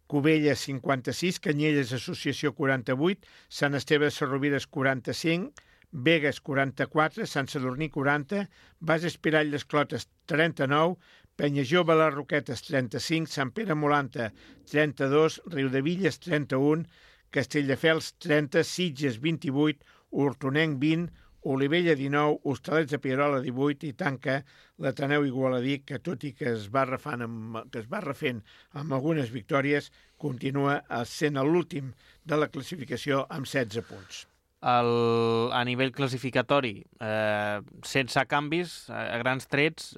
Cubelles 56, Canyelles Associació 48, Sant Esteve de Sarrovires 45, Vegas 44, Sant Sadurní 40, Base Espirall d'Esclotes 39, Penyajove Les Roquetes 35, Sant Pere Molanta 32, Riudebitlles 31, Castelldefels 30, Sitges 28, Hortonenc 20, Olivella 19, Hostalets de Pierola 18 i tanca l'Ateneu Igualadí, que tot i que es va refent amb algunes victòries, continua sent l'últim de la classificació amb 16 punts. A nivell classificatori, sense canvis, a grans trets,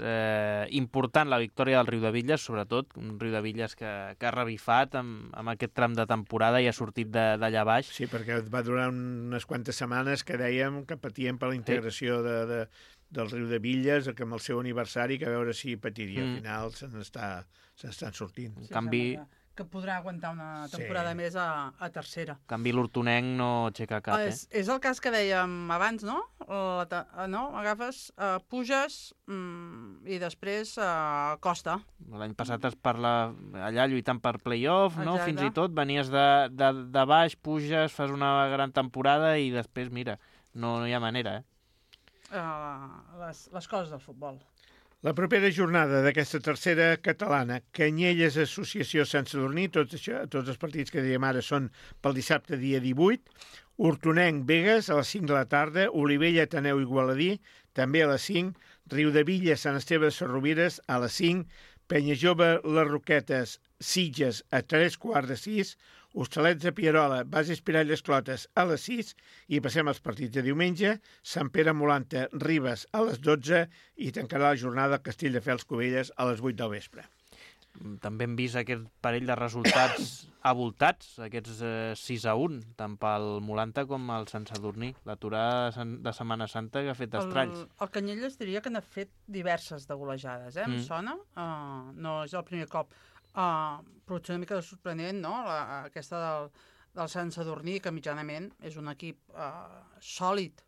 important la victòria del Riudebitlles, sobretot, un Riudebitlles que ha revifat amb aquest tram de temporada i ha sortit d'allà baix. Sí, perquè va durar unes quantes setmanes que dèiem que patíem per la integració del Riudebitlles, que amb el seu aniversari, que a veure si patiria. Al final se n'estan sortint. En canvi, que podrà aguantar una temporada més a tercera. En canvi, l'Hortonenc no aixeca cap, És el cas que dèiem abans, no? Agafes, puges i després costa. L'any passat es parla allà lluitant per play-off, no? Fins i tot venies de baix, puges, fas una gran temporada i després, mira, no hi ha manera, les coses del futbol. La propera jornada d'aquesta tercera catalana, Canyelles Associació Sant Sadurní, tots els partits que dèiem ara són pel dissabte dia 18, Hortonenc Begues a les 5 de la tarda, Olivella Ateneu Igualadí també a les 5, Riudavilla Sant Esteve de Sarrovires a les 5, Penyajove Les Roquetes Sitges a 3:15, Hostalets de Pierola, Bases Piralles Clotes a les 6 i passem als partits de diumenge, Sant Pere Molanta Ribes a les 12 i tancarà la jornada Castelldefels Cubelles a les 8 del vespre. També hem vist aquest parell de resultats avoltats, aquests 6-1, tant pel Molanta com el Sant Sadurní. L'aturada de Setmana Santa que ha fet estralls. El Canyelles diria que n'ha fet diverses de golejades, em sona? No és el primer cop. Potser una mica sorprenent, no?, aquesta del Sant Sadurní, que mitjanament és un equip sòlid.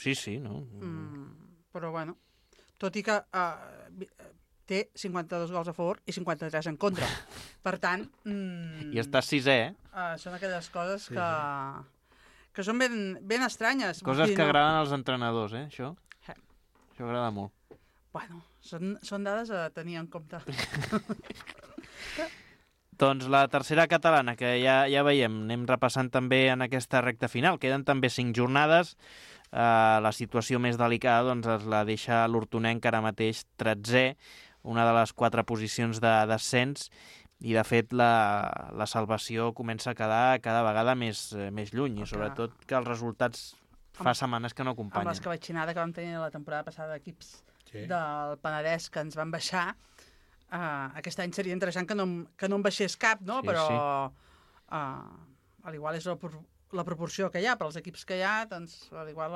Sí, no? Però, bueno, tot i que té 52 gols a favor i 53 en contra. Per tant... I està sisè, són aquelles coses que són ben estranyes. Coses que agraden als entrenadors, això. Això agrada molt. Bueno, són dades a tenir en compte. Doncs la tercera catalana, que ja veiem, anem repassant també en aquesta recta final. Queden també 5 jornades. La situació més delicada doncs, es la deixa l'Hortonenc ara mateix 13è, una de les 4 posicions de descens, i de fet la salvació comença a quedar cada vegada més lluny, i sobretot que els resultats fa setmanes que no acompanyen. Amb l'escabetxinada que vam tenir la temporada passada d'equips del Penedès que ens van baixar, aquest any seria interessant que no en baixés cap, no? Però a l'igual és la proporció que hi ha, per als equips que hi ha, doncs a l'igual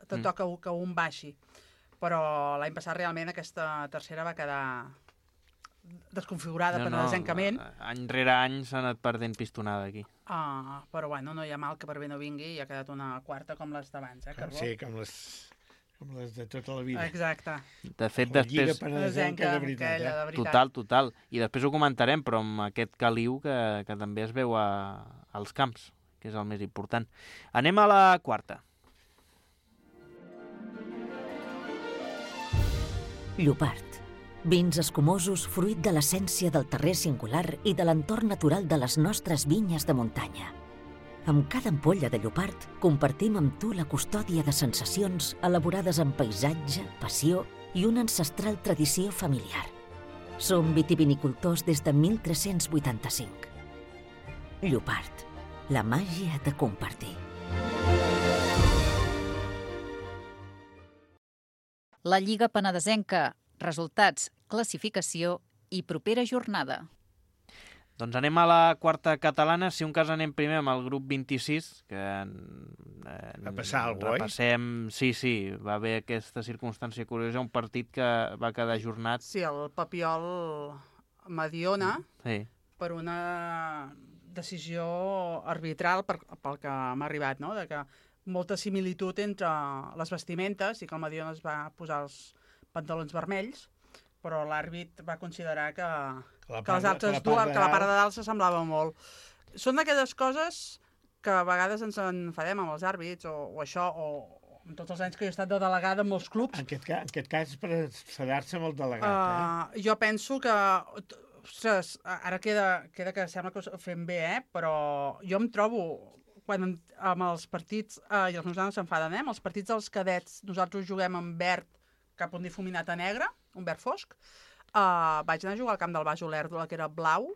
te toca que un baixi. Però l'any passat realment aquesta tercera va quedar desconfigurada penedesencament. Any rere any s'ha anat perdent pistonada aquí. Però bueno, no hi ha mal que per bé no vingui, i ha quedat una quarta com les d'abans, Carbó? Sí, com les de tota la vida. Exacte. De fet, després... La Lliga Penedesenca de veritat. Total. I després ho comentarem, però amb aquest caliu que també es veu als camps, que és el més important. Anem a la quarta. Llopart. Vins escumosos fruit de l'essència del terrer singular i de l'entorn natural de les nostres vinyes de muntanya. Amb cada ampolla de Llopart compartim amb tu la custòdia de sensacions elaborades amb paisatge, passió i una ancestral tradició familiar. Som vitivinicultors des de 1385. Llopart, la màgia de compartir. La Lliga Penedesenca, resultats, classificació i propera jornada. Doncs anem a la quarta catalana, si un cas anem primer amb el grup 26, que va passar alguna cosa, repassem... Sí, va haver aquesta circumstància curiosa, un partit que va quedar ajornat. Sí, el Papiol Mediona, per una decisió arbitral pel que m'ha arribat, no?, de que molta similitud entre les vestimentes i que el Mediona es va posar els pantalons vermells, però l'àrbit va considerar que les altres dues, que la part de dalt s'assemblava molt. Són d'aquelles coses que a vegades ens enfadem amb els àrbits o això, o en tots els anys que he estat de delegada en molts clubs. En aquest cas, per enfadar-se amb el delegat. Jo penso que... Ostres, ara queda que sembla que ho fem bé, però jo em trobo... Quan amb els partits, i els meus nanos s'enfaden, amb els partits dels cadets, nosaltres juguem en verd cap un difuminat a negre, un verd fosc, vaig anar a jugar al camp del Baix Olèrdola, que era blau,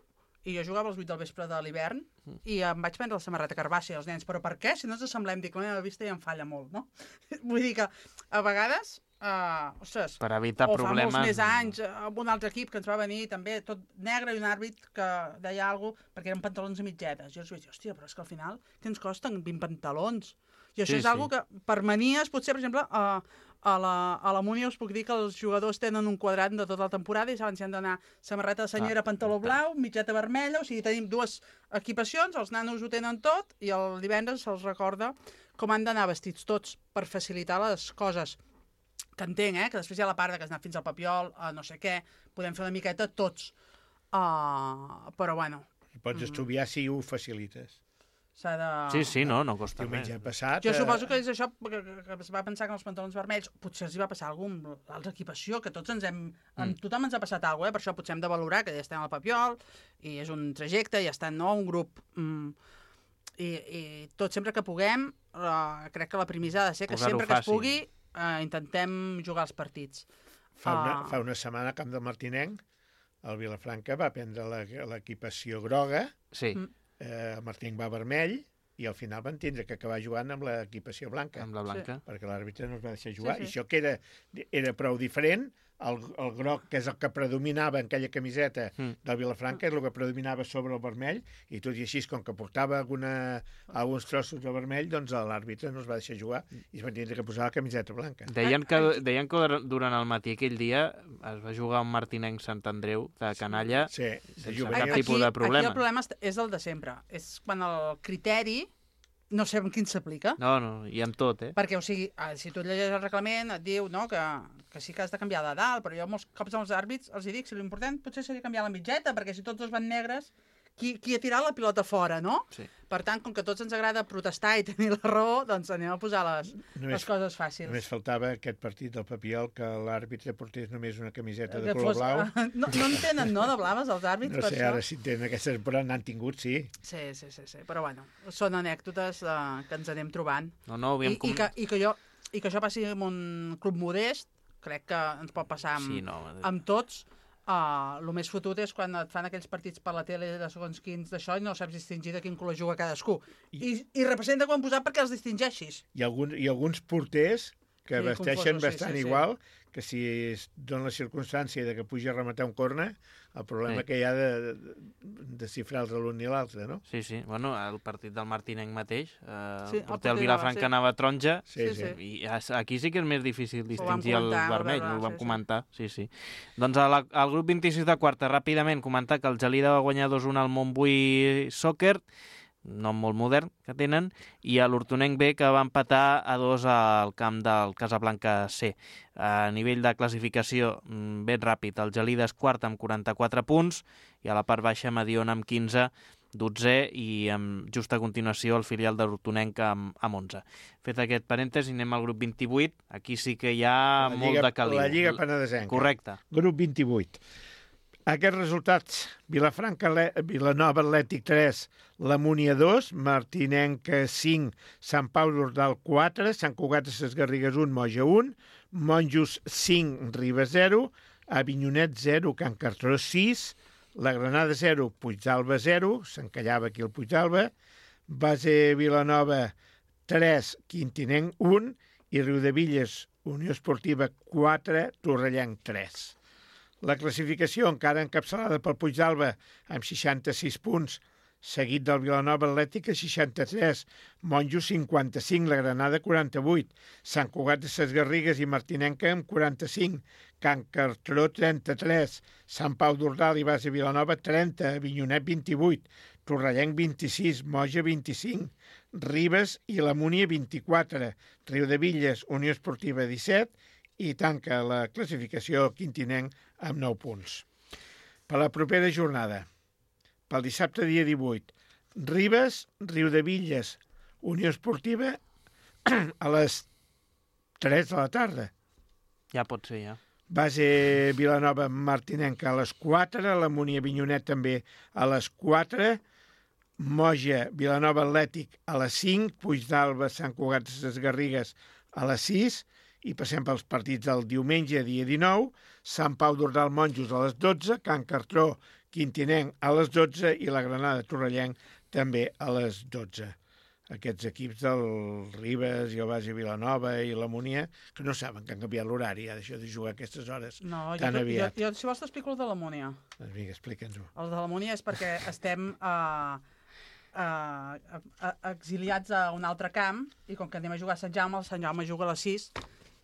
i jo jugava als 8 del vespre de l'hivern, i em vaig prendre la samarreta carbàcia als nens. Però per què? Si no ens assemblem, dic, la meva vista ja em falla molt, no? Vull dir que, a vegades, ostres, per evitar problemes... O fa molts més anys, amb un altre equip que ens va venir també tot negre i un àrbit que deia alguna cosa, perquè eren pantalons a mitgetes. Jo els vaig dir, hòstia, però és que al final què ens costen 20 pantalons? I això és algo que, per manies, potser, per exemple, a la Múnia us puc dir que els jugadors tenen un quadrat de tota la temporada i saben si han d'anar samarreta de senyera, pantaló blau, mitjeta vermella, o sigui, tenim dues equipacions, els nanos ho tenen tot, i el divendres se'ls recorda com han d'anar vestits tots per facilitar les coses. Que entenc, que després hi ha la part que has anat fins al Papiol, no sé què, podem fer una miqueta tots. Però, bueno... Pots estudiar si ho facilites. Sí, no costa res. Diumenge passat... Jo suposo que és això, que es va pensar que els pantalons vermells potser els hi va passar alguna cosa amb l'equipació, que tots tothom ens ha passat alguna cosa, per això potser hem de valorar que ja estem al Papiol, i és un trajecte, ja està un grup... I tot sempre que puguem, crec que la premissa ha de ser que sempre que es pugui intentem jugar els partits. Fa una setmana a Camp del Martinenc, el Vilafranca va prendre l'equipació groga, el Martinenc va vermell, i al final van tindre que acabar jugant amb l'equipació blanca. Amb la blanca. Perquè l'àrbitre no es va deixar jugar. I això que era prou diferent, el groc, que és el que predominava en aquella camiseta del Vilafranca, és el que predominava sobre el vermell, i tot i així, com que portava alguns trossos de vermell, doncs l'àrbitre no es va deixar jugar i es van tindre que posar la camiseta blanca. Deien que durant el matí aquell dia es va jugar un Martinenc Sant Andreu de canalla sense cap tipus de problema. Aquí el problema és el de sempre. És quan el criteri no sé amb quin s'aplica. No, i amb tot, Perquè, o sigui, si tu llegeixes el reglament, et diu que sí que has de canviar de dalt, però jo molts cops als àrbits els dic, si l'important potser seria canviar la mitgeta, perquè si tots dos van negres, qui ha tirat la pilota fora, no? Sí. Per tant, com que a tots ens agrada protestar i tenir la raó, doncs anem a posar les coses fàcils. Només faltava aquest partit del Papiol que l'àrbitre portés només una camiseta de color blau. No en tenen, no, de blaves, els àrbits? No sé, ara si tenen aquestes, però n'han tingut, sí. Sí, però bueno, són anècdotes que ens anem trobant. I que això passi en un club modest, crec que ens pot passar amb tots. El més fotut és quan et fan aquells partits per la tele de segons quins d'això i no saps distingir de quin color juga cadascú. I representa quan posar perquè els distingeixis. I alguns porters que vesteixen bastant igual, que si es dona la circumstància de que pugi a rematar un corner, el problema que hi ha de xifrar l'un i l'altre, no? Sí. Bueno, el partit del Martinenc mateix, el porter del Vilafranca anava taronja, i aquí sí que és més difícil distingir el vermell, ho vam comentar. Sí. Doncs al grup 26 de quarta, ràpidament, comentar que el Gelida va guanyar 2-1 al Montbui Soccer, nom molt modern que tenen, i a l'Hortonenc B, que va empatar a 2 al camp del Casablanca C. A nivell de classificació, ben ràpid, el Gelida és quart amb 44 punts, i a la part baixa Mediona amb 15, 12è, i amb justa continuació el filial de l'Hortonenc amb 11. Fet aquest parèntesi, anem al grup 28. Aquí sí que hi ha molt de caliu. La Lliga Penedesenca. Correcte. Grup 28. Aquests resultats: Vilanova Atlètic 3, la Múnia 2, Martinenc 5, Sant Pau d'Ordal 4, Sant Cugat de ses Garrigues 1, Moja 1, Monjos 5, Ribes 0, Avinyonet 0, Can Cartró 6, la Granada 0, Puigdàlber 0, s'encallava aquí el Puigdàlber, Base Vilanova 3, Quintinenc 1 i Riudevilles, Unió Esportiva 4, Torrellenc 3. La classificació encara encapçalada pel Puigdàlber amb 66 punts, seguit del Vilanova Atlètic a 63, Monjos 55, la Granada 48, Sant Cugat de ses Garrigues i Martinenca amb 45, Can Cartró 33, Sant Pau d'Ordal i Base Vilanova 30, Avinyonet 28, Torrellenc 26, Moja 25, Ribes i la Múnia 24, Riudevilles, Unió Esportiva 17, i tanca la classificació Quintinenc amb 9 punts. Per la propera jornada, pel dissabte dia 18, Ribes, Riudevilles, Unió Esportiva a les 3 de la tarda. Ja pot ser, ja. Base Vilanova Martinenca a les 4, la Múnia Avinyonet també a les 4, Moja Vilanova Atlètic a les 5, Puigdàlber Sant Cugat de ses Garrigues a les 6, i passem pels partits del diumenge, dia 19, Sant Pau d'Ordal Monjos a les 12, Can Cartró Quintinenc a les 12 i la Granada Torrellenc també a les 12. Aquests equips del Ribes i el Base Vilanova i la Múnia, que no saben que han canviat l'horari, ha deixat de jugar a aquestes hores tan aviat. Jo, si vols, t'explico el de la Múnia. Doncs vinga, explica'ns-ho. El de la Múnia és perquè estem exiliats a un altre camp, i com que anem a jugar a Sant Jaume juga a les 6,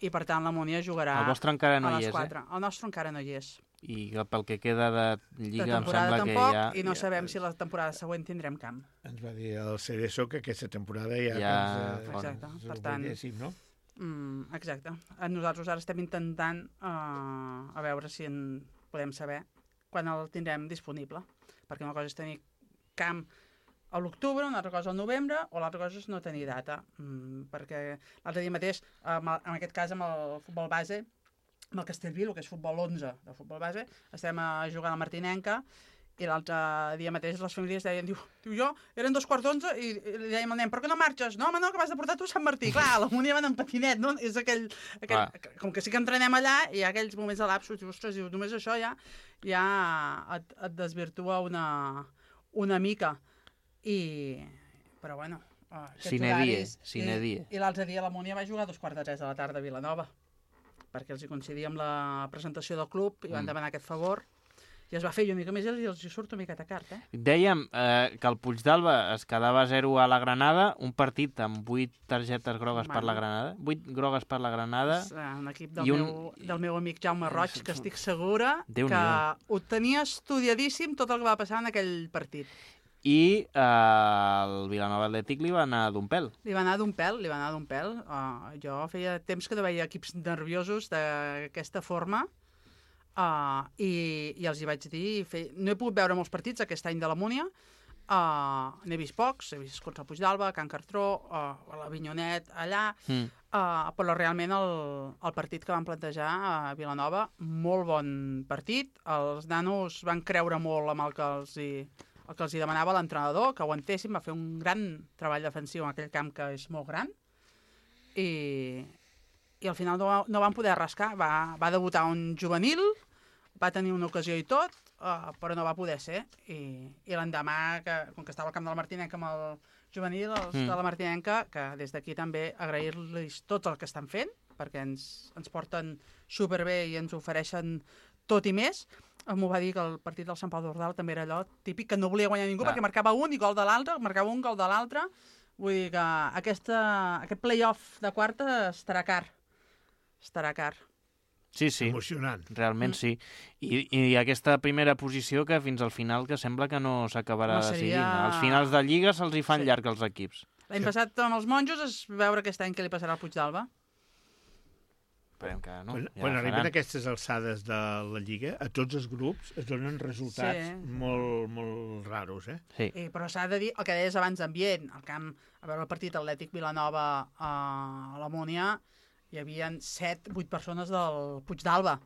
i per tant la Múnia jugarà el vostre encara no a les hi és, 4. El nostre encara no hi és. I pel que queda de Lliga em sembla tampoc, que ja... I no sabem si la temporada següent tindrem camp. Ens va dir el Cerezo que aquesta temporada ja... Exacte, per tant... No? Exacte. Nosaltres ara estem intentant a veure si en podem saber quan el tindrem disponible. Perquè una cosa és tenir camp a l'octubre, una altra cosa al novembre, o l'altra cosa és no tenir data. Perquè l'altre dia mateix, en aquest cas amb el futbol base, amb el Castellví, el que és futbol 11 de futbol base, estem jugant a Martinenca, i l'altre dia mateix les famílies deien, diu jo, eren 11:15 i li dèiem al nen, per què no marxes? No, home, no, que m'has de portar tu a Sant Martí. Clar, a la Múnia van en patinet, no? És aquell com que sí que entrenem allà, i hi ha aquells moments de lapsus, diu, ostres, només això ja et desvirtua una mica. Però bueno, aquests horaris... I l'altre dia la Múnia va jugar a 2:45 de la tarda a Vilanova, perquè els hi coincidia amb la presentació del club i van demanar aquest favor. I es va fer una mica més i els hi surt una miqueta car, Dèiem que el Puigdàlber es quedava 0 a la Granada, un partit amb 8 targetes grogues per la Granada, 8 grogues per la Granada. És un equip del meu amic Jaume Roig, que estic segura que ho tenia estudiadíssim tot el que va passar en aquell partit. I el Vilanova Atlètic li va anar d'un pèl. Li va anar d'un pèl. Jo feia temps que no veia equips nerviosos d'aquesta forma, i els hi vaig dir, no he pogut veure molts partits aquest any de la Múnia, n'he vist pocs, he vist contra el Puigdàlber, Can Cartró, l'Avinyonet allà, però realment el partit que van plantejar a Vilanova, molt bon partit, els nanos van creure molt amb el que els hi demanava l'entrenador, que aguantessin, va fer un gran treball defensiu en aquell camp que és molt gran, i al final no van poder rascar, va debutar un juvenil, va tenir una ocasió i tot, però no va poder ser. I l'endemà, com que estava al camp de la Martinenca amb el juvenil, els de la Martinenca, que des d'aquí també agrair-los tot el que estan fent, perquè ens porten superbé i ens ofereixen tot i més. M'ho va dir que el partit del Sant Pau d'Ordal també era allò típic, que no volia guanyar ningú, perquè marcava un i gol de l'altre, marcava un gol de l'altre. Vull dir que aquest play-off de quarta estarà car. Sí. Emocionant. Realment sí. I aquesta primera posició que fins al final que sembla que no s'acabarà decidint. Als finals de Lliga se'ls hi fan llarg els equips. L'any passat amb els monjos es veure aquest any què li passarà al Puigdàlber. Esperem que no. Quan arriben aquestes alçades de la Lliga, a tots els grups es donen resultats molt, molt raros, Sí. Però s'ha de dir el que deies abans d'ambient. Al camp, a veure el partit Atlètic Vilanova a la Múnia, hi havia 7-8 persones del Puigdàlber.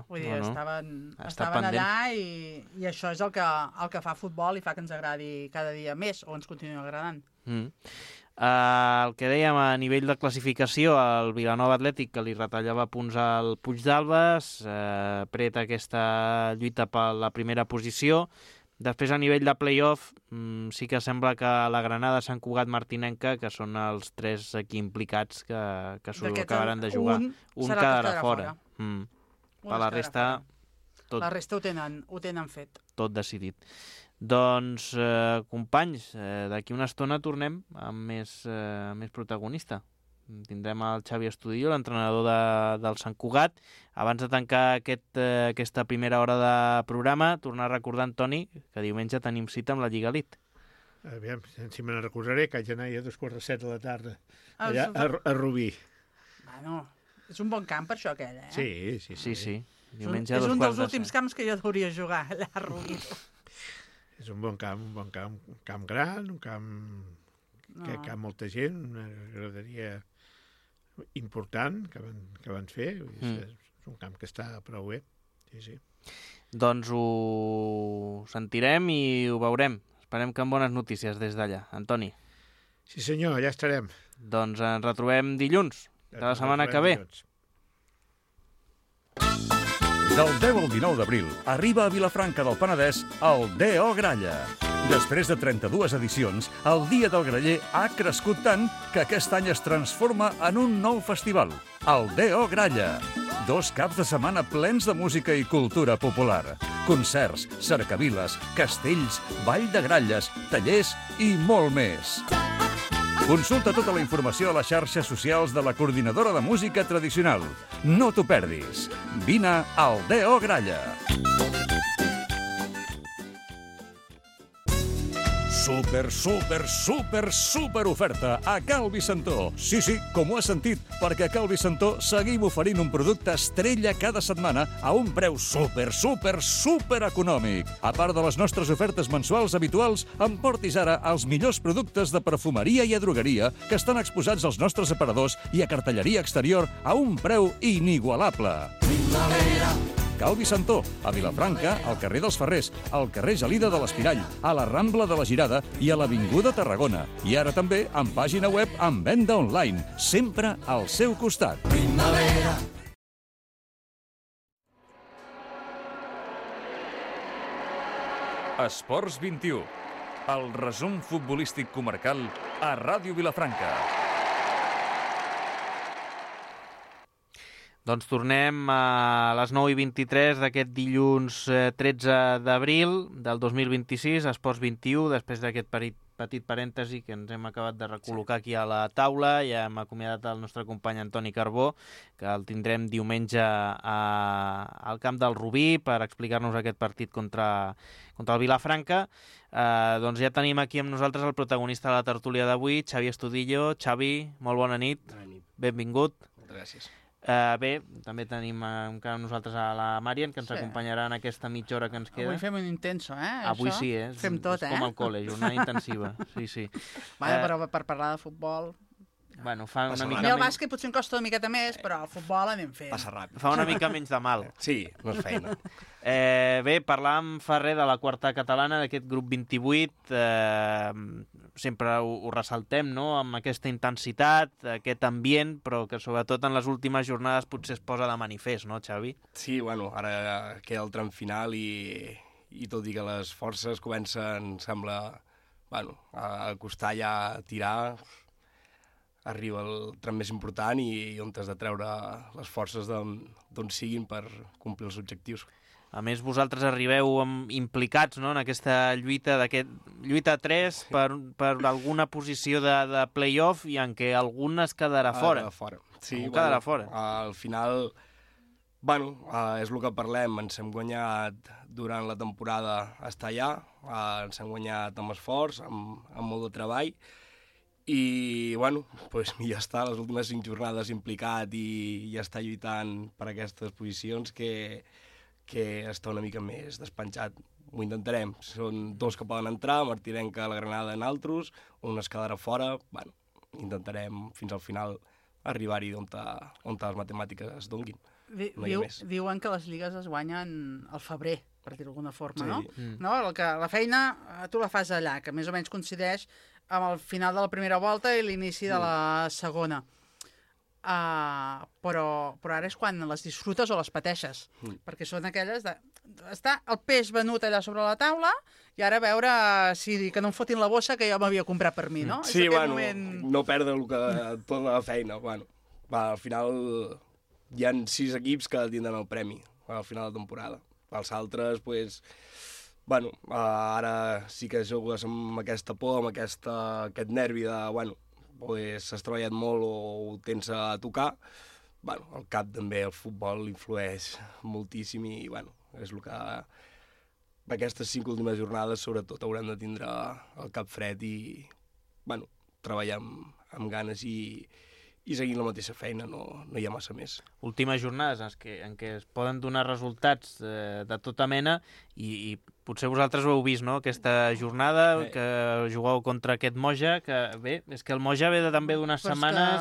Vull dir, estaven allà i això és el que fa futbol i fa que ens agradi cada dia més o ens continua agradant. El que dèiem a nivell de classificació, el Vilanova Atlètic, que li retallava punts al Puigdàlber, preta aquesta lluita per la primera posició. Després, a nivell de play-off, sí que sembla que la Granada, Sant Cugat, Martinenca, que són els 3 aquí implicats que s'ho acabaran de jugar. Un quedarà fora. Per la resta... La resta ho tenen fet. Tot decidit. Doncs, companys, d'aquí una estona tornem amb més protagonista. Tindrem el Xavi Estudillo, l'entrenador del Sant Cugat. Abans de tancar aquesta primera hora de programa, tornar recordant, Toni, que diumenge tenim cita amb la Lliga Elite. Aviam, si me ne recordaré, que haig d'anar a 2:45 de la tarda, allà a Rubí. Bueno, és un bon camp per això, aquell, Sí. Diumenge és un dels últims camps que jo hauria jugar, allà a Rubí. És un bon camp, un camp gran, un camp que hi ha molta gent, una graderia important que van fer. És un camp que està prou bé. Sí. Doncs ho sentirem i ho veurem. Esperem que amb bones notícies des d'allà. Antoni. Sí senyor, allà estarem. Doncs ens retrobem dilluns, de la setmana que ve. Del 10 al 19 d'abril arriba a Vilafranca del Penedès el D.O. Gralla. Després de 32 edicions, el Dia del Graller ha crescut tant que aquest any es transforma en un nou festival, el D.O. Gralla. 2 caps de setmana plens de música i cultura popular. Concerts, cercaviles, castells, ball de gralles, tallers i molt més. Consulta tota la informació a les xarxes socials de la Coordinadora de Música Tradicional. No t'ho perdis. Vine al D.O. Gralla. super oferta a Cal Vicentó. Sí, com ho has sentit, perquè a Cal Vicentó seguim oferint un producte estrella cada setmana a un preu super econòmic. A part de les nostres ofertes mensuals habituals, emportis ara els millors productes de perfumeria i drogueria que estan exposats als nostres aparadors i a cartelleria exterior a un preu inigualable. Cal Vicentó, a Vilafranca, al carrer dels Ferrers, al carrer Gelida de l'Espirall, a la Rambla de la Girada i a l'Avinguda Tarragona. I ara també amb pàgina web amb venda online, sempre al seu costat. Primavera. Esports 21, el resum futbolístic comarcal a Ràdio Vilafranca. Doncs tornem a les 9:23 d'aquest dilluns 13 d'abril del 2026, Esports 21, després d'aquest petit parèntesi que ens hem acabat de recol·locar aquí a la taula. Ja hem acomiadat el nostre company Antoni Carbó, que el tindrem diumenge al camp del Rubí per explicar-nos aquest partit contra el Vilafranca. Doncs ja tenim aquí amb nosaltres el protagonista de la tertúlia d'avui, Xavi Estudillo. Xavi, molt bona nit. Bona nit. Benvingut. Moltes gràcies. Bé, també tenim encara nosaltres a la Marian, que ens acompanyarà en aquesta mitja hora que ens queda. Avui fem un intenso, Avui això? sí, Fem tot, és com al col·le, jornada intensiva. Sí. Però per parlar de futbol... Bueno, fa una mica menys... El bàsquet potser em costa una miqueta més, però el futbol anem fent. Passa ràpid. Fa una mica menys de mal. Sí, no és feina. Bé, parlàvem fa res de la quarta catalana, d'aquest grup 28. Sempre ho ressaltem, no?, amb aquesta intensitat, aquest ambient, però que sobretot en les últimes jornades potser es posa de manifest, no, Xavi? Sí, bueno, ara queda el tram final i tot i que les forces comencen, sembla, a costar ja a tirar, arriba el tram més important i on has de treure les forces d'on siguin per complir els objectius. A més, vosaltres arribeu implicats, no?, en aquesta lluita a 3 per alguna posició de play-off i en què algun es quedarà fora. Sí, quedarà fora. Al final, és el que parlem, ens hem guanyat durant la temporada estar allà, ens hem guanyat amb esforç, amb molt de treball, i, ja està, les últimes 5 jornades implicat i ja està lluitant per aquestes posicions que està una mica més despenjat. Ho intentarem. Són 2 que poden entrar, Martirenca, la Granada en altres, un es quedarà fora. Intentarem fins al final arribar-hi on les matemàtiques es donguin. Diuen que les lligues es guanyen al febrer, per dir-ho d'alguna forma, no? Sí. No? La feina tu la fas allà, que més o menys coincideix amb el final de la primera volta i l'inici de la segona. Però ara és quan les disfrutes o les pateixes, perquè són aquelles de... Està el peix venut allà sobre la taula i ara veure que no em fotin la bossa que jo m'havia comprat per mi, no? Sí, no perdre tota la feina. Al final hi ha 6 equips que tindran el premi al final de temporada. Els altres, ara sí que jugues amb aquesta por, amb aquest nervi de, has treballat molt o ho tens a tocar. El cap també, el futbol influeix moltíssim i, és el que aquestes 5 últimes jornades, sobretot, haurem de tindre el cap fred i, treballar amb ganes i seguint la mateixa feina, no hi ha massa més. Últimes jornades en què es poden donar resultats de tota mena i potser vosaltres ho heu vist, no?, aquesta jornada que jugueu contra aquest Moja, que bé, és que el Moja ve també d'unes setmanes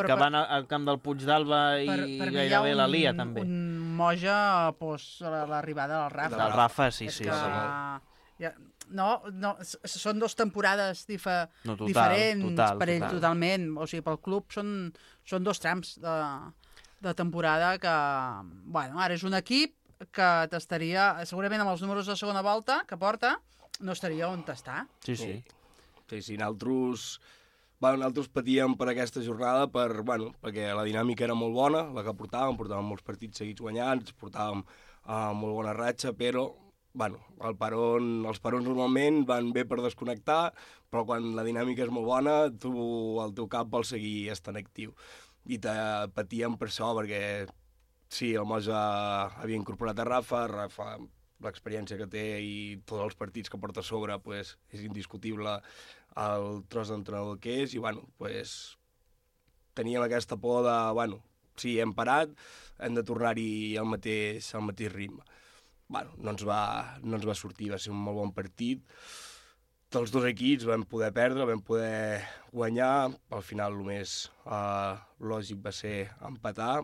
que van al camp del Puig d'Alba i gairebé la lia, també. Un Moja l'arribada del Rafa. Del Rafa, sí. No, són 2 temporades diferents per ell totalment. O sigui, pel club són 2 trams de temporada que, ara és un equip que t'estaria, segurament amb els números de segona volta que porta, no estaria on està. Sí. Nosaltres patíem per aquesta jornada perquè la dinàmica era molt bona, la que portàvem molts partits seguits guanyats, portàvem molt bona ratxa, però els parons normalment van bé per desconnectar, però quan la dinàmica és molt bona, el teu cap vol seguir estant actiu. I patíem per això, perquè sí, el Moja havia incorporat a Rafa l'experiència que té i tots els partits que porta a sobre, pues, és indiscutible el tros d'entrenador que és, i bueno, pues, teníem aquesta por de, bueno, sí, hem parat, hem de tornar-hi al mateix ritme. Bueno, no ens va sortir, va ser un molt bon partit. Dels dos equips vam poder perdre, vam poder guanyar. Al final el més lògic va ser empatar.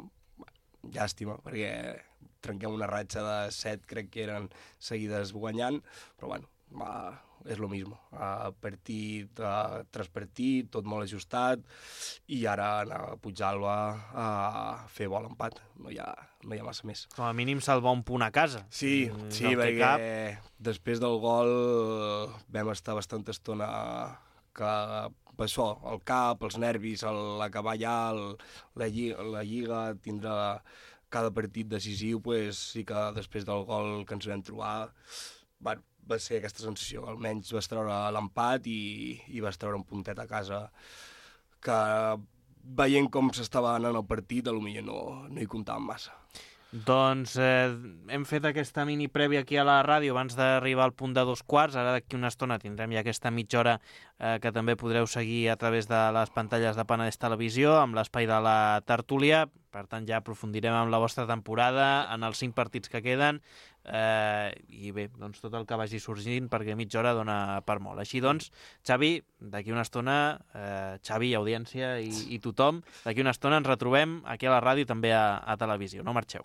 Llàstima, perquè trenquem una ratxa de 7, crec que eren seguides guanyant, però bueno, és lo mismo. Partit tras partit, tot molt ajustat, i ara anar a Puigdàlber a fer bo l'empat. No hi ha massa més. Com a mínim salvar un punt a casa. Sí, perquè després del gol vam estar bastanta estona que això, el cap, els nervis, l'acabar ja, la lliga, tindre cada partit decisiu, pues, sí que després del gol que ens vam trobar, va ser aquesta sensació. Almenys vas treure l'empat i vas treure un puntet a casa que, veient com s'estava anant el partit, potser no hi comptàvem massa. Doncs hem fet aquesta mini prèvia aquí a la ràdio abans d'arribar al punt de 2:15. Ara d'aquí una estona tindrem ja aquesta mitja hora que també podreu seguir a través de les pantalles de Penedès Televisió amb l'espai de la tertúlia. Per tant, ja aprofundirem en la vostra temporada, en els 5 partits que queden, i bé, doncs tot el que vagi sorgint, perquè mitja hora dona per molt. Així doncs, Xavi, d'aquí una estona, Xavi, audiència i tothom, d'aquí una estona ens retrobem aquí a la ràdio i també a televisió. No marxeu.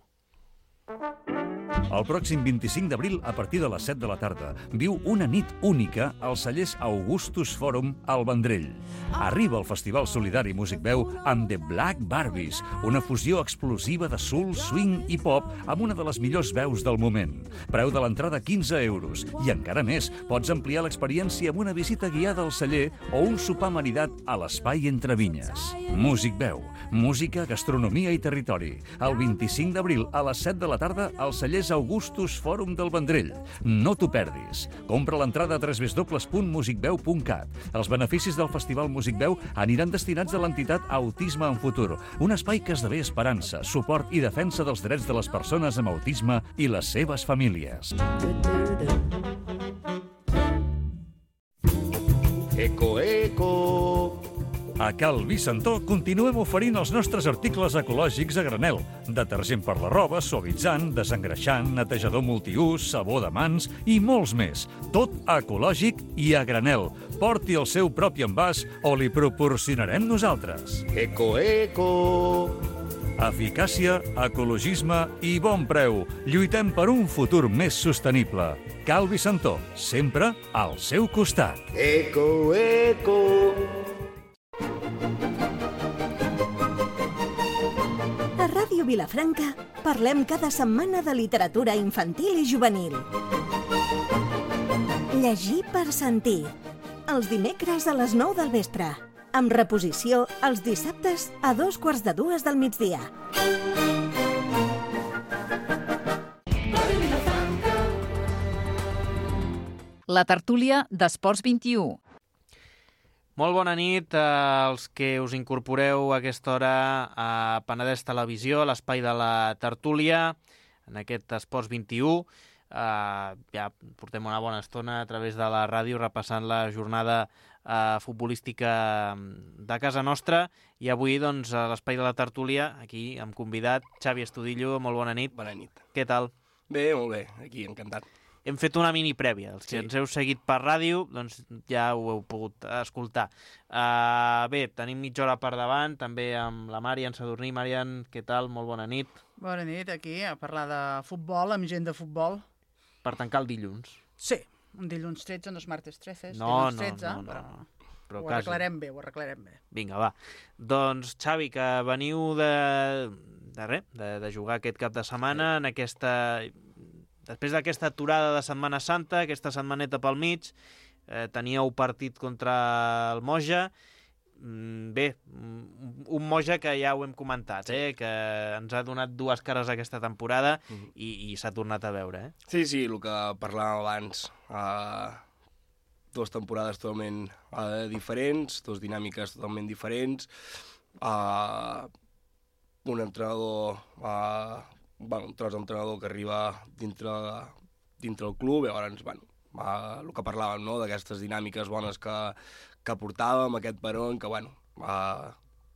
El pròxim 25 d'abril, a partir de les 7 de la tarda, viu una nit única als cellers Augustus Forum al Vendrell. Arriba el Festival Solidari Músic Veu amb The Black Barbies, una fusió explosiva de soul, swing i pop amb una de les millors veus del moment. Preu de l'entrada 15 euros. I encara més, pots ampliar l'experiència amb una visita guiada al celler o un sopar maridat a l'Espai Entre Vinyes. Músic Veu, música, gastronomia i territori. El 25 d'abril a les 7 de la tarda als cellers Augustus Forum del Vendrell. No t'ho perdis. Compra l'entrada a www.musicveu.cat. Els beneficis del Festival Músic Veu aniran destinats a l'entitat Autisme en Futur, un espai que esdevé esperança, suport i defensa dels drets de les persones amb autisme i les seves famílies. Eco, eco! A Cal Vicentó continuem oferint els nostres articles ecològics a granel. Detergent per la roba, suavitzant, desengreixant, netejador multiús, sabó de mans i molts més. Tot ecològic i a granel. Porti el seu propi envàs o li proporcionarem nosaltres. Eco, eco! Eficàcia, ecologisme i bon preu. Lluitem per un futur més sostenible. Cal Vicentó, sempre al seu costat. Eco, eco! A Ràdio Vilafranca parlem cada setmana de literatura infantil i juvenil. Llegir per sentir. Els dimecres a les 9 del vespre. Amb reposició els dissabtes a 2:45 del migdia. La tertúlia d'Esports 21. Molt bona nit als que us incorporeu a aquesta hora a Penedès Televisió, a l'espai de la tertúlia, en aquest Esports 21. Ja portem una bona estona a través de la ràdio repassant la jornada futbolística de casa nostra, i avui doncs, a l'espai de la tertúlia, aquí hem convidat Xavi Estudillo. Molt bona nit. Bona nit. Què tal? Bé, molt bé, aquí, encantat. Hem fet una mini prèvia. Els que ens heu seguit per ràdio, doncs ja ho heu pogut escoltar. Bé, tenim mitja hora per davant, també amb la Marian Sadurní. Marian, què tal? Molt bona nit. Bona nit, aquí, a parlar de futbol, amb gent de futbol. Per tancar el dilluns. Sí, un dilluns 13, no és martes 13, no, dilluns 13, però ho arreglarem bé, Vinga, va. Doncs, Xavi, que veniu de jugar aquest cap de setmana en aquesta... Després d'aquesta aturada de Setmana Santa, aquesta setmaneta pel mig, teníeu partit contra el Moja. Bé, un Moja que ja ho hem comentat, que ens ha donat dues cares aquesta temporada i s'ha tornat a veure. Sí, el que parlàvem abans. Dues temporades totalment diferents, dues dinàmiques totalment diferents. Un entrenador... un tros d'entrenador que arriba dintre dintre el club, llavors, bueno, el que parlàvem, no?, d'aquestes dinàmiques bones que portàvem, aquest peró, que, bueno,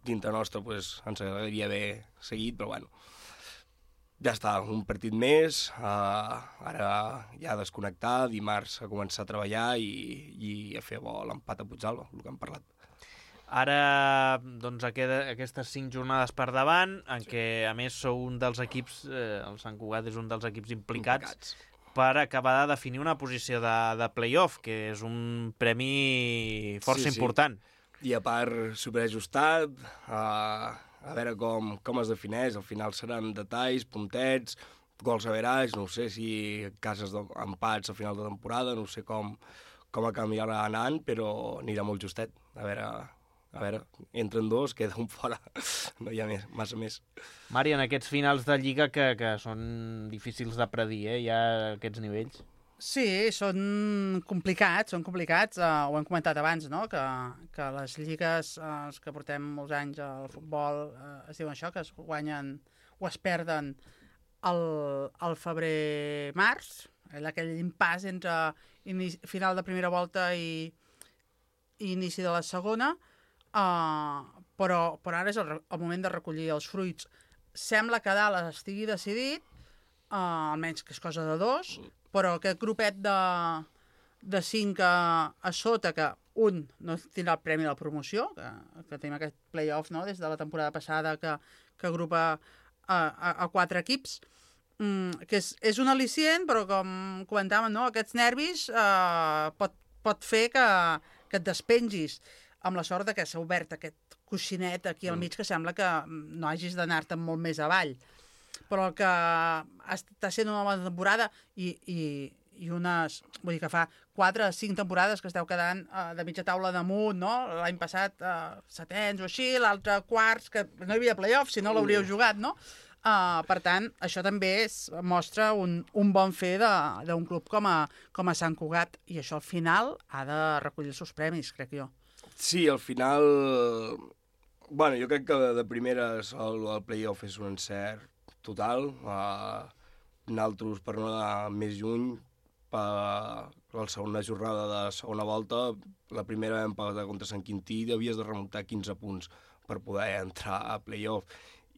dintre nostre pues, ens agradaria haver seguit, però, bueno, ja està, un partit més, ara ja desconnectar, dimarts a començar a treballar i a fer bo l'empat a Puigdàlber, el que hem parlat. Ara, doncs, aquestes 5 jornades per davant, en què, a més, sou un dels equips, el Sant Cugat és un dels equips implicats per acabar de definir una posició de play-off, que és un premi força important. I a part, superajustat, a veure com es defineix, al final seran detalls, puntets, gols average, no sé si cases d'empats a final de temporada, no sé com acabarà anant, però anirà molt justet. A veure, entren 2, queda un fora, no hi ha massa més. Mari, en aquests finals de Lliga que són difícils de predir, ja aquests nivells. Sí, són complicats, ho hem comentat abans, no?, que les lligues, els que portem molts anys al futbol, es diuen això, que es guanyen o es perden al febrer-març, aquell impàs entre final de primera volta i inici de la segona, però ara és el moment de recollir els fruits. Sembla que dalt estigui decidit, almenys que és cosa de 2, però aquest grupet de 5 a sota, que un no tindrà el premi de la promoció, que tenim aquest play-off, no?, des de la temporada passada, que agrupa a 4 equips, que és un al·licient, però com comentàvem, no?, aquests nervis pot fer que et despengis, amb la sort que s'ha obert aquest coixinet aquí al mig, que sembla que no hagis d'anar-te'n molt més avall. Però que està sent una bona temporada i unes... Vull dir que fa 4 o 5 temporades que esteu quedant de mitja taula damunt, no? L'any passat 7ens o així, l'altre quarts, que no hi havia play-off, si no l'hauríeu jugat, no? Per tant, això també mostra un bon fer d'un club com a Sant Cugat, i això al final ha de recollir els seus premis, crec jo. Sí, al final... Bueno, jo crec que de primeres el play-off és un encert total. Nosaltres, per no anar més lluny, per la segona jornada de segona volta, la primera vam pagar contra Sant Quintí i havies de remuntar 15 punts per poder entrar a play-off.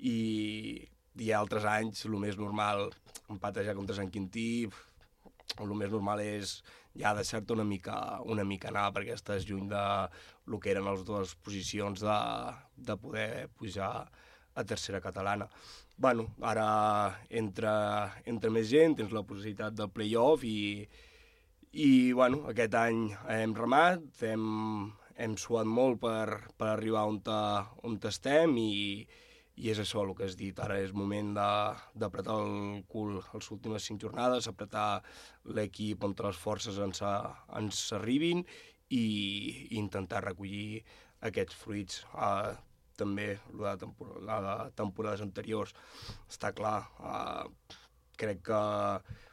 I altres anys, el més normal, empatejar contra Sant Quintí, el més normal és ja deixar-te una mica anar, perquè estàs lluny de lo que eren les dues posicions de poder pujar a tercera catalana. Bueno, ara entra més gent, tens la possibilitat del play-off i bueno, aquest any hem remat, hem suat molt per arribar on estem i és això el que has dit. Ara és moment d'apretar el cul les últimes 5 jornades, apretar l'equip on les forces ens arribin i intentar recollir aquests fruits. També la de temporades anteriors, està clar. Crec que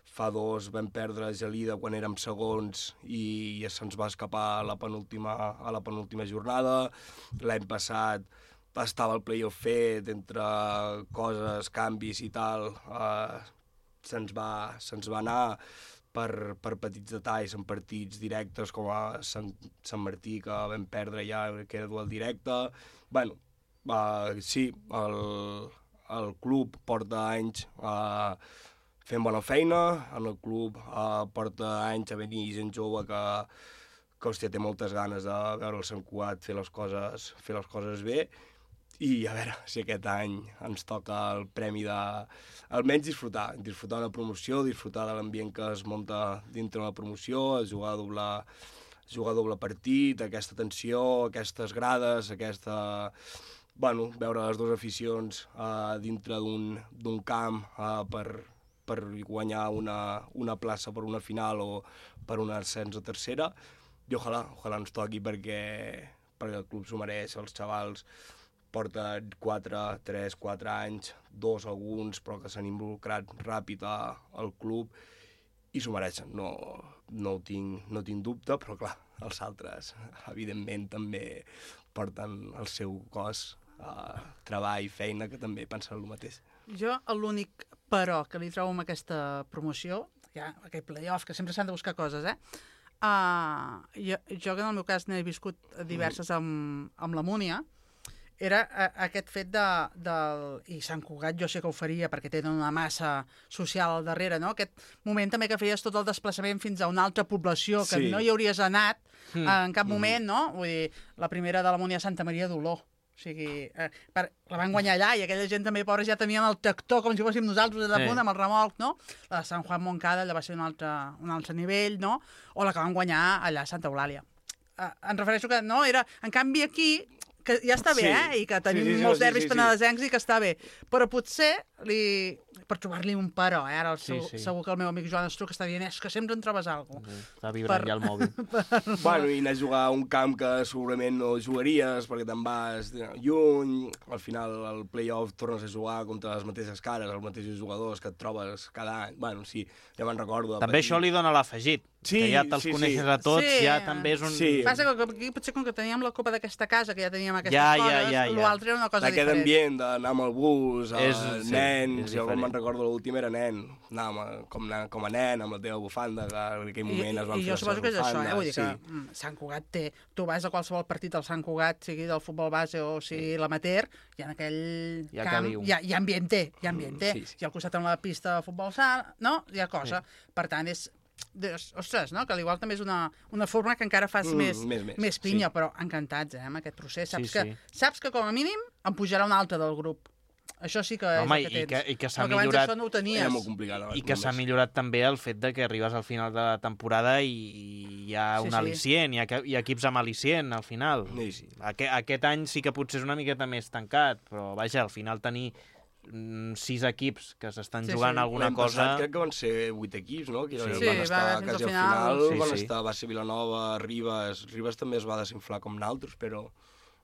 fa 2 vam perdre Gelida quan érem segons i se'ns va escapar a la penúltima jornada. L'any passat estava el play-off fet, entre coses, canvis i tal, se'ns va anar per petits detalls en partits directes com a Sant Martí, que vam perdre ja, que era duel directe. Bueno, sí, el club porta anys fent bona feina, en el club porta anys a venir gent jove que hòstia, té moltes ganes de veure el Sant Cugat fer les coses bé. I a veure si aquest any ens toca el premi almenys disfrutar una promoció, disfrutar de l'ambient que es munta dintre una promoció, jugar doble partit, aquesta tensió, aquestes grades, bueno, veure les dues aficions dintre d'un camp per guanyar una plaça per una final o per un ascens a tercera. I ojalà ens toqui perquè el club s'ho mereix, els xavals porten 3-4 anys, 2 alguns, però que s'han involucrat ràpid al club i s'ho mereixen. No tinc dubte, però clar, els altres, evidentment, també porten el seu cos, treball, feina, que també pensen el mateix. Jo l'únic però que li trobo amb aquesta promoció aquell play-off, que sempre s'han de buscar coses, jo que en el meu cas n'he viscut diverses amb la Múnia, era aquest fet i Sant Cugat jo sé que ho faria perquè tenen una massa social al darrere, no? Aquest moment també que feies tot el desplaçament fins a una altra població que no hi hauries anat en cap moment, no? Vull dir, la primera de la Múnia Santa Maria d'Oló. O sigui, la van guanyar allà i aquella gent també, pobres, ja tenien el tractor com si fóssim nosaltres allà punt amb el remolc, no? La de Sant Juan Moncada allà va ser un altre nivell, no? O la que van guanyar allà a Santa Eulàlia. Em refereixo que, no, era... En canvi aquí, que ja està bé, i que tenim molts derbis penedesencs i que està bé, però potser per trobar-li un però, ara segur que el meu amic Joan Estruc està dient és que sempre en trobes alguna cosa. Està vibrant ja el mòbil. Bueno, i anar a jugar a un camp que segurament no jugaries perquè te'n vas lluny, al final el play-off tornes a jugar contra les mateixes cares, els mateixos jugadors que et trobes cada any. Bueno, sí, ja me'n recordo. També això li dona l'afegit, que ja te'ls coneixes a tots, ja també és un... Passa que aquí potser com que teníem la copa d'aquesta casa, que ja teníem aquestes coses, l'altre era una cosa diferent. Aquest ambient d'anar amb el bus, nens, jo me'n recordo l'últim era nen, anàvem com a nen, amb la teva bufanda, que en aquell moment es van fer I jo suposo que és això, vull dir que Sant Cugat té... Tu vas a qualsevol partit del Sant Cugat, sigui del futbol base o sigui l'amateur, i en aquell camp hi ha ambiente, i al costat amb la pista de futbol sala, no? Hi ha cosa. Per tant, és... Ostres, no? Que al igual també és una forma que encara fas més pinya, però encantats, amb aquest procés. Saps que com a mínim em pujarà un altre del grup. Això sí que és el que tens. I que s'ha millorat... Això no ho tenies. Era molt complicat. I que s'ha millorat també el fet de que arribes al final de la temporada i hi ha un al·licient, hi ha equips amb al·licient al final. Aquest any sí que potser és una miqueta més tancat, però vaja, al final tenir 6 equips que s'estan jugant alguna cosa... Crec que van ser 8 equips, no? Que van estar quasi al final, va ser Vilanova, Ribes també es va desinflar com naltros, però...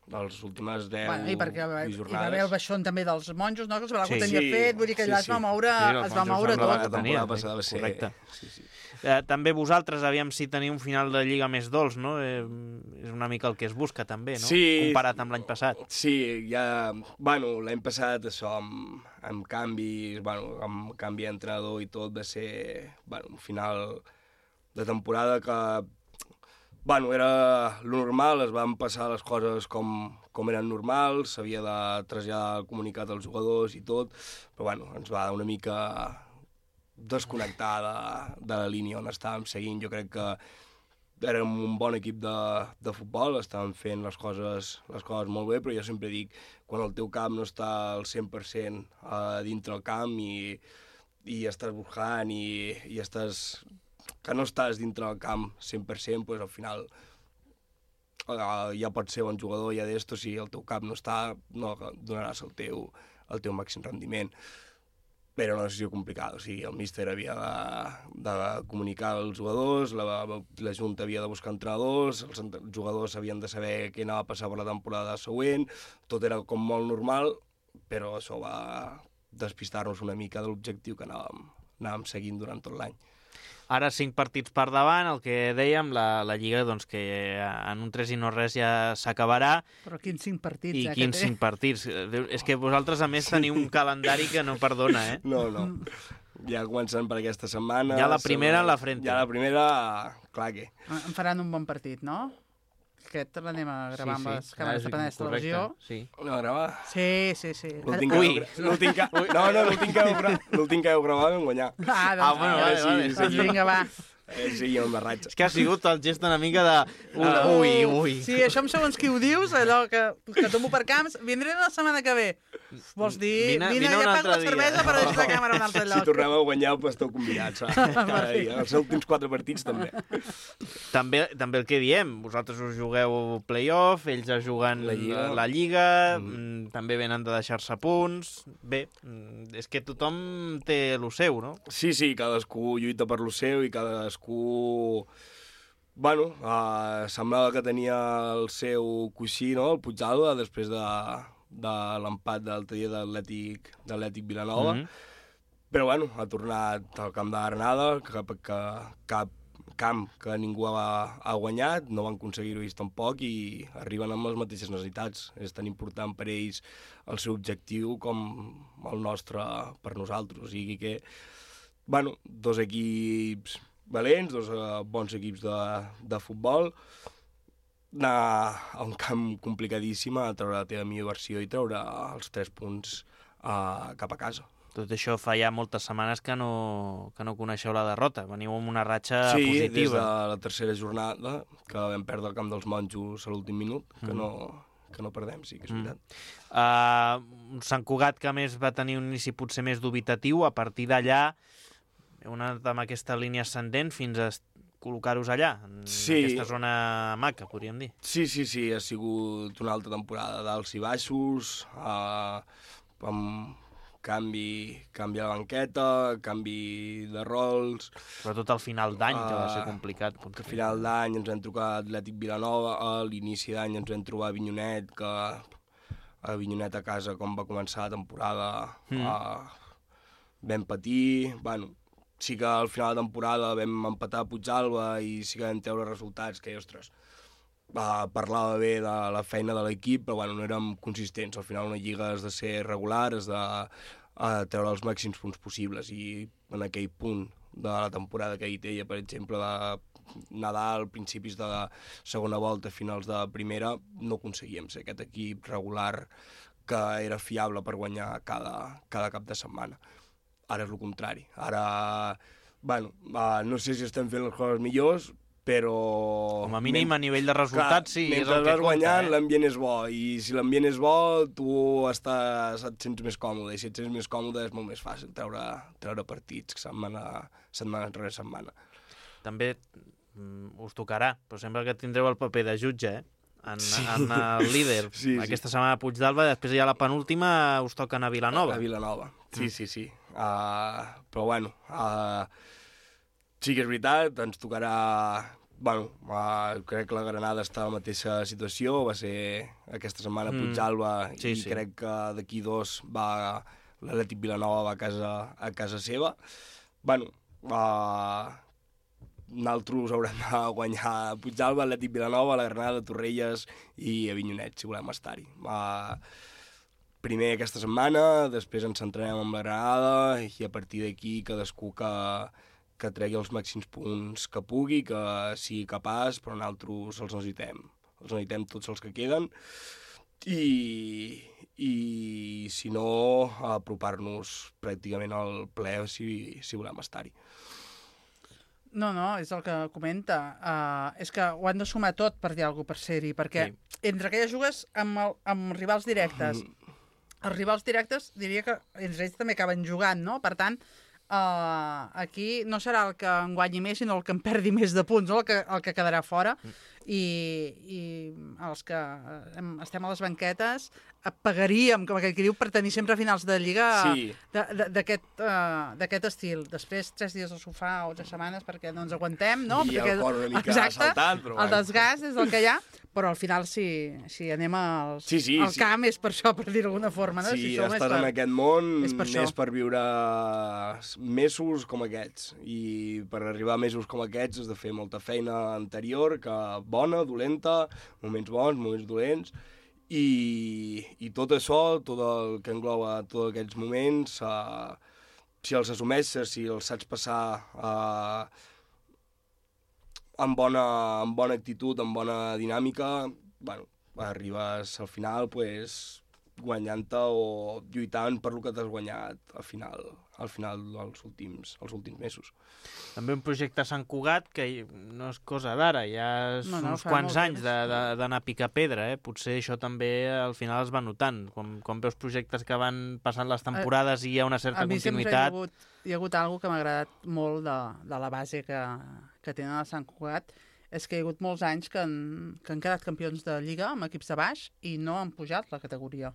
les últimes 10 jornades. I perquè hi va haver el baixón també dels monjos, no? Que ho tenia fet, vull dir que allà es va moure tot. La temporada passada va ser... Correcte. També vosaltres, aviam si teniu un final de Lliga més dolç, no? És una mica el que es busca també, no? Comparat amb l'any passat. Sí, ja... Bueno, l'any passat això, amb canvis, amb canvi d'entrenador i tot, va ser un final de temporada que... era lo normal, es van passar les coses com eren normals, s'havia de traslladar el comunicat als jugadors i tot, però ens va una mica desconnectar de la línia on estàvem seguint. Jo crec que érem un bon equip de futbol, estàvem fent les coses molt bé, però jo sempre dic, quan el teu camp no està al 100% dintre el camp i estàs buscant i estàs... que no estàs dintre del camp 100%, doncs al final ja pots ser bon jugador, ja d'esto, si el teu cap no està, no donaràs el teu màxim rendiment. Però una decisió complicada, o sigui, el míster havia de comunicar als jugadors, la Junta havia de buscar entrenadors, els jugadors havien de saber què anava a passar per la temporada següent, tot era com molt normal, però això va despistar-nos una mica de l'objectiu que anàvem seguint durant tot l'any. Ara 5 partits per davant, el que dèiem, la Lliga, doncs que en un 3 i no res ja s'acabarà. Però quins 5 partits, I quins 5 partits. És que vosaltres, a més, teniu un calendari que no perdona, eh? No. Ja comencen per aquesta setmana. Ja la primera en la frente. Ja la primera, clar que... Em faran un bon partit, no? Aquest l'anem a gravar amb les càmeres de Penedès Televisió. No, a gravar? Sí. L'últim que heu gravat vam guanyar. Doncs vinga, va. Sí, jo em barratge. És que ha sigut el gest una mica de... Ui. Sí, això amb segons qui ho dius, allò que tomo per camps, vindré la setmana que ve. Vols dir, vine ja pago la cervesa per deixar la càmera a un altre lloc. Si torneu a guanyar, doncs esteu convidats. Cada dia. Els últims 4 partits, també. També el que diem, vosaltres us jugueu play-off, ells es juguen la Lliga, també venen de deixar-se punts. Bé, és que tothom té lo seu, no? Sí, cadascú lluita per lo seu i cadascú... semblava que tenia el seu coixí, no?, el Puigdàlber, després de l'empat de l'altre dia d'Atlètic Vilanova. Però, ha tornat al camp de Granada, cap camp que ningú ha guanyat, no van aconseguir-ho ells tampoc i arriben amb les mateixes necessitats. És tan important per ells el seu objectiu com el nostre per nosaltres. O sigui que bueno, dos equips valents, dos bons equips de futbol, anar a un camp complicadíssim a treure la teva millor versió i treure els 3 punts cap a casa. Tot això fa ja moltes setmanes que no coneixeu la derrota. Veniu amb una ratxa positiva. positiva. Sí, des de la tercera jornada, que vam perdre el camp dels monjos a l'últim minut, que no perdem, sí que és veritat. Sant Cugat, que més va tenir un inici potser més dubitatiu, a partir d'allà heu anat amb aquesta línia ascendent fins a col·locar-vos allà, en aquesta zona maca, podríem dir. Sí, ha sigut una altra temporada d'alts i baixos, amb canvi a la banqueta, canvi de rols... Sobretot al final d'any, que va ser complicat. Al final d'any ens vam trucar Atlètic Vilanova, a l'inici d'any ens vam trobar Avinyonet, que a Avinyonet a casa, com va començar la temporada, vam patir... Bueno, sí que al final de temporada vam empatar a Puigdàlber i sí que vam treure resultats que, ostres, parlava bé de la feina de l'equip, però bueno, no érem consistents. Al final una lliga has de ser regular, has de treure els màxims punts possibles, i en aquell punt de la temporada que hi deia, per exemple, de Nadal, principis de la segona volta, finals de primera, no aconseguíem ser aquest equip regular que era fiable per guanyar cada cap de setmana. Ara és el contrari. Ara, bueno, no sé si estem fent les coses millors, però... Com a mínim, a nivell de resultats, sí, és el que compta. Mentre vas guanyant, l'ambient és bo, i si l'ambient és bo, tu et sents més còmode, i si et sents més còmode és molt més fàcil treure partits setmana rere setmana. També us tocarà, però sembla que tindreu el paper de jutge, en el líder. Aquesta setmana a Puigdàlber, després ja la penúltima us toquen a Vilanova. A Vilanova, sí. Però bueno... Sí que és veritat, ens tocarà... Bueno, crec que la Granada està en la mateixa situació, va ser aquesta setmana a Puigdàlber, i crec que d'aquí 2 l'Atlètic Vilanova va a casa seva. Bueno, nosaltres haurem de guanyar a Puigdàlber, Atlètic Vilanova, la Granada, Torrelles i Avinyonet, si volem estar-hi. Primer aquesta setmana, després ens centrarem en la Granada, i a partir d'aquí cadascú que tregui els màxims punts que pugui, que sigui capaç, però nosaltres els necessitem tots els que queden, i si no, apropar-nos pràcticament al ple si volem estar-hi. No, és el que comenta. És que ho han de sumar tot per dir alguna cosa per ser-hi, perquè entre que ja jugues amb rivals directes, els rivals directes diria que entre ells també acaben jugant, no? Per tant, aquí no serà el que en guanyi més, sinó el que en perdi més de punts, no? el que quedarà fora, i els que estem a les banquetes pagaríem, com aquell que diu, per tenir sempre finals de Lliga d'aquest estil. Després 3 dies al sofà o 3 setmanes perquè no ens aguantem, no? I el cor una mica saltant, però el desgast és el que hi ha, però al final si anem al camp és per això, per dir d'alguna forma, no? Sí, estàs en aquest món més per viure mesos com aquests, i per arribar a mesos com aquests has de fer molta feina anterior, que bona, dolenta, moments bons, moments dolents, i tot això, tot el que engloba tots aquests moments, si els assumeixes, si els saps passar amb bona actitud, amb bona dinàmica, bueno, arribes al final guanyant-te o lluitant per lo que t'has guanyat al final dels últims mesos. També un projecte a Sant Cugat que no és cosa d'ara, ja és uns quants anys d'anar a picar pedra, Potser això també al final es va notant. Quan veus projectes que van passant les temporades i hi ha una certa continuïtat... A mi sempre hi ha hagut alguna que m'ha agradat molt de la base que tenen a Sant Cugat, és que hi ha hagut molts anys que han quedat campions de Lliga amb equips de baix i no han pujat la categoria.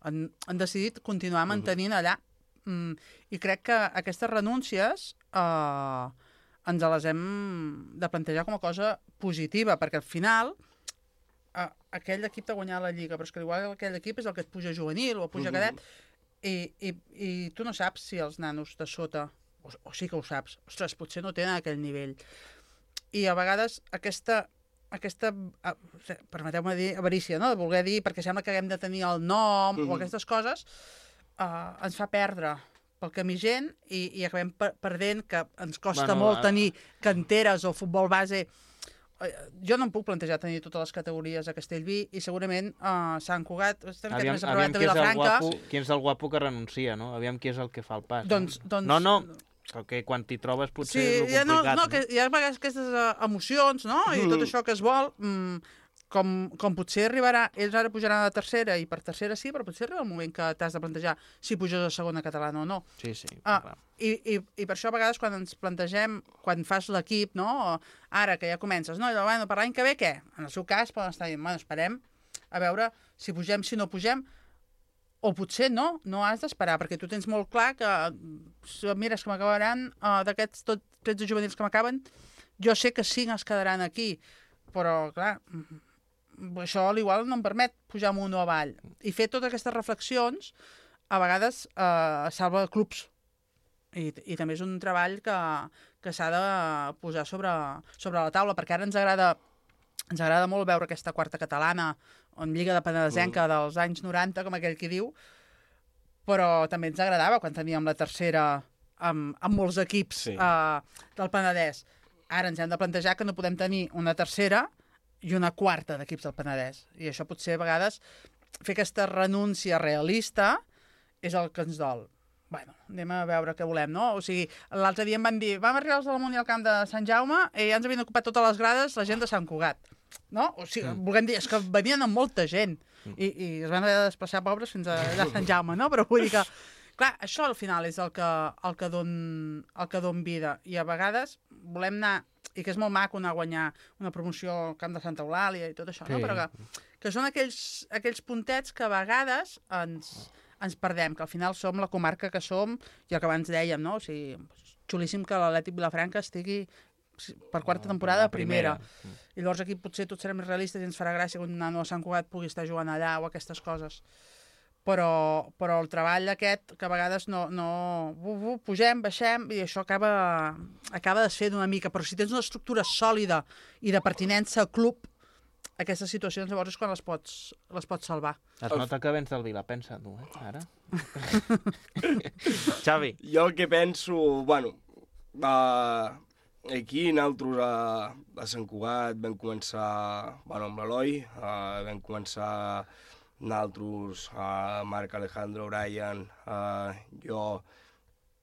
Han decidit continuar mantenint allà. I crec que aquestes renúncies ens les hem de plantejar com a cosa positiva, perquè al final aquell equip t'ha guanyat la Lliga, però és que igual aquell equip és el que et puja juvenil o et puja cadet, i tu no saps si els nanos de sota, o sí que ho saps, ostres, potser no tenen aquell nivell. I a vegades aquesta permeteu-me dir, avarícia, no? De voler dir, perquè sembla que haguem de tenir el nom o aquestes coses, ens fa perdre pel camí gent i acabem perdent, que ens costa molt tenir canteres o futbol base. Jo no em puc plantejar tenir totes les categories a Castellví i segurament Sant Cugat estem aquest més aprovat de Vilafranca. Qui és el guapo que renuncia, no? Aviam qui és el que fa el pas. Doncs... No, que quan t'hi trobes potser és complicat. Sí, hi ha aquestes emocions, no? I tot això que es vol, com potser arribarà, ells ara pujaran a la tercera i per tercera sí, però potser arriba el moment que t'has de plantejar si puges a segona catalana o no. Sí. I per això a vegades quan ens plantegem, quan fas l'equip, no? Ara que ja comences, no? I bueno, per l'any que ve què? En el seu cas poden estar dient, bueno, esperem a veure si pugem, si no pugem, o potser no has d'esperar, perquè tu tens molt clar que, mires que m'acabaran d'aquests 13 juvenils que m'acaben, jo sé que 5 es quedaran aquí, però clar, això igual no em permet pujar amunt o avall. I fer totes aquestes reflexions a vegades salva clubs. I també és un treball que s'ha de posar sobre la taula, perquè ara ens agrada molt veure aquesta quarta catalana en Lliga de Penedesenca dels anys 90, com aquell qui diu, però també ens agradava quan teníem la tercera amb molts equips del Penedès. Ara ens hem de plantejar que no podem tenir una tercera i una quarta d'equips del Penedès. I això potser a vegades fer aquesta renúncia realista és el que ens dol. Bueno, anem a veure què volem, no? O sigui, l'altre dia em van dir, vam arribar als de la Munt i al camp de Sant Jaume i ja ens havien ocupat totes les grades la gent de Sant Cugat, no? O sigui, volem dir, és que venien amb molta gent i es van haver de desplaçar pobres fins a Sant Jaume, no? Però vull dir que, clar, això al final és el que don vida. I a vegades volem anar, i que és molt maco anar a guanyar una promoció al camp de Santa Eulàlia i tot això, no? Però que són aquells puntets que a vegades ens perdem, que al final som la comarca que som i el que abans dèiem, no? O sigui, xulíssim que l'Atlètic Vilafranca estigui per quarta temporada a primera. I llavors aquí potser tots serem més realistes i ens farà gràcia que un nano a Sant Cugat pugui estar jugant allà o aquestes coses. Però el treball aquest, que a vegades pugem, baixem, i això acaba desfent una mica. Però si tens una estructura sòlida i de pertinença al club, aquestes situacions llavors és quan les pots salvar. Es nota que vens del Vila, pensa tu, ara? Xavi. Jo el que penso, bueno, aquí nosaltres a Sant Cugat vam començar, amb l'Eloi, vam començar nosaltres, Marc Alejandro, Brian, jo,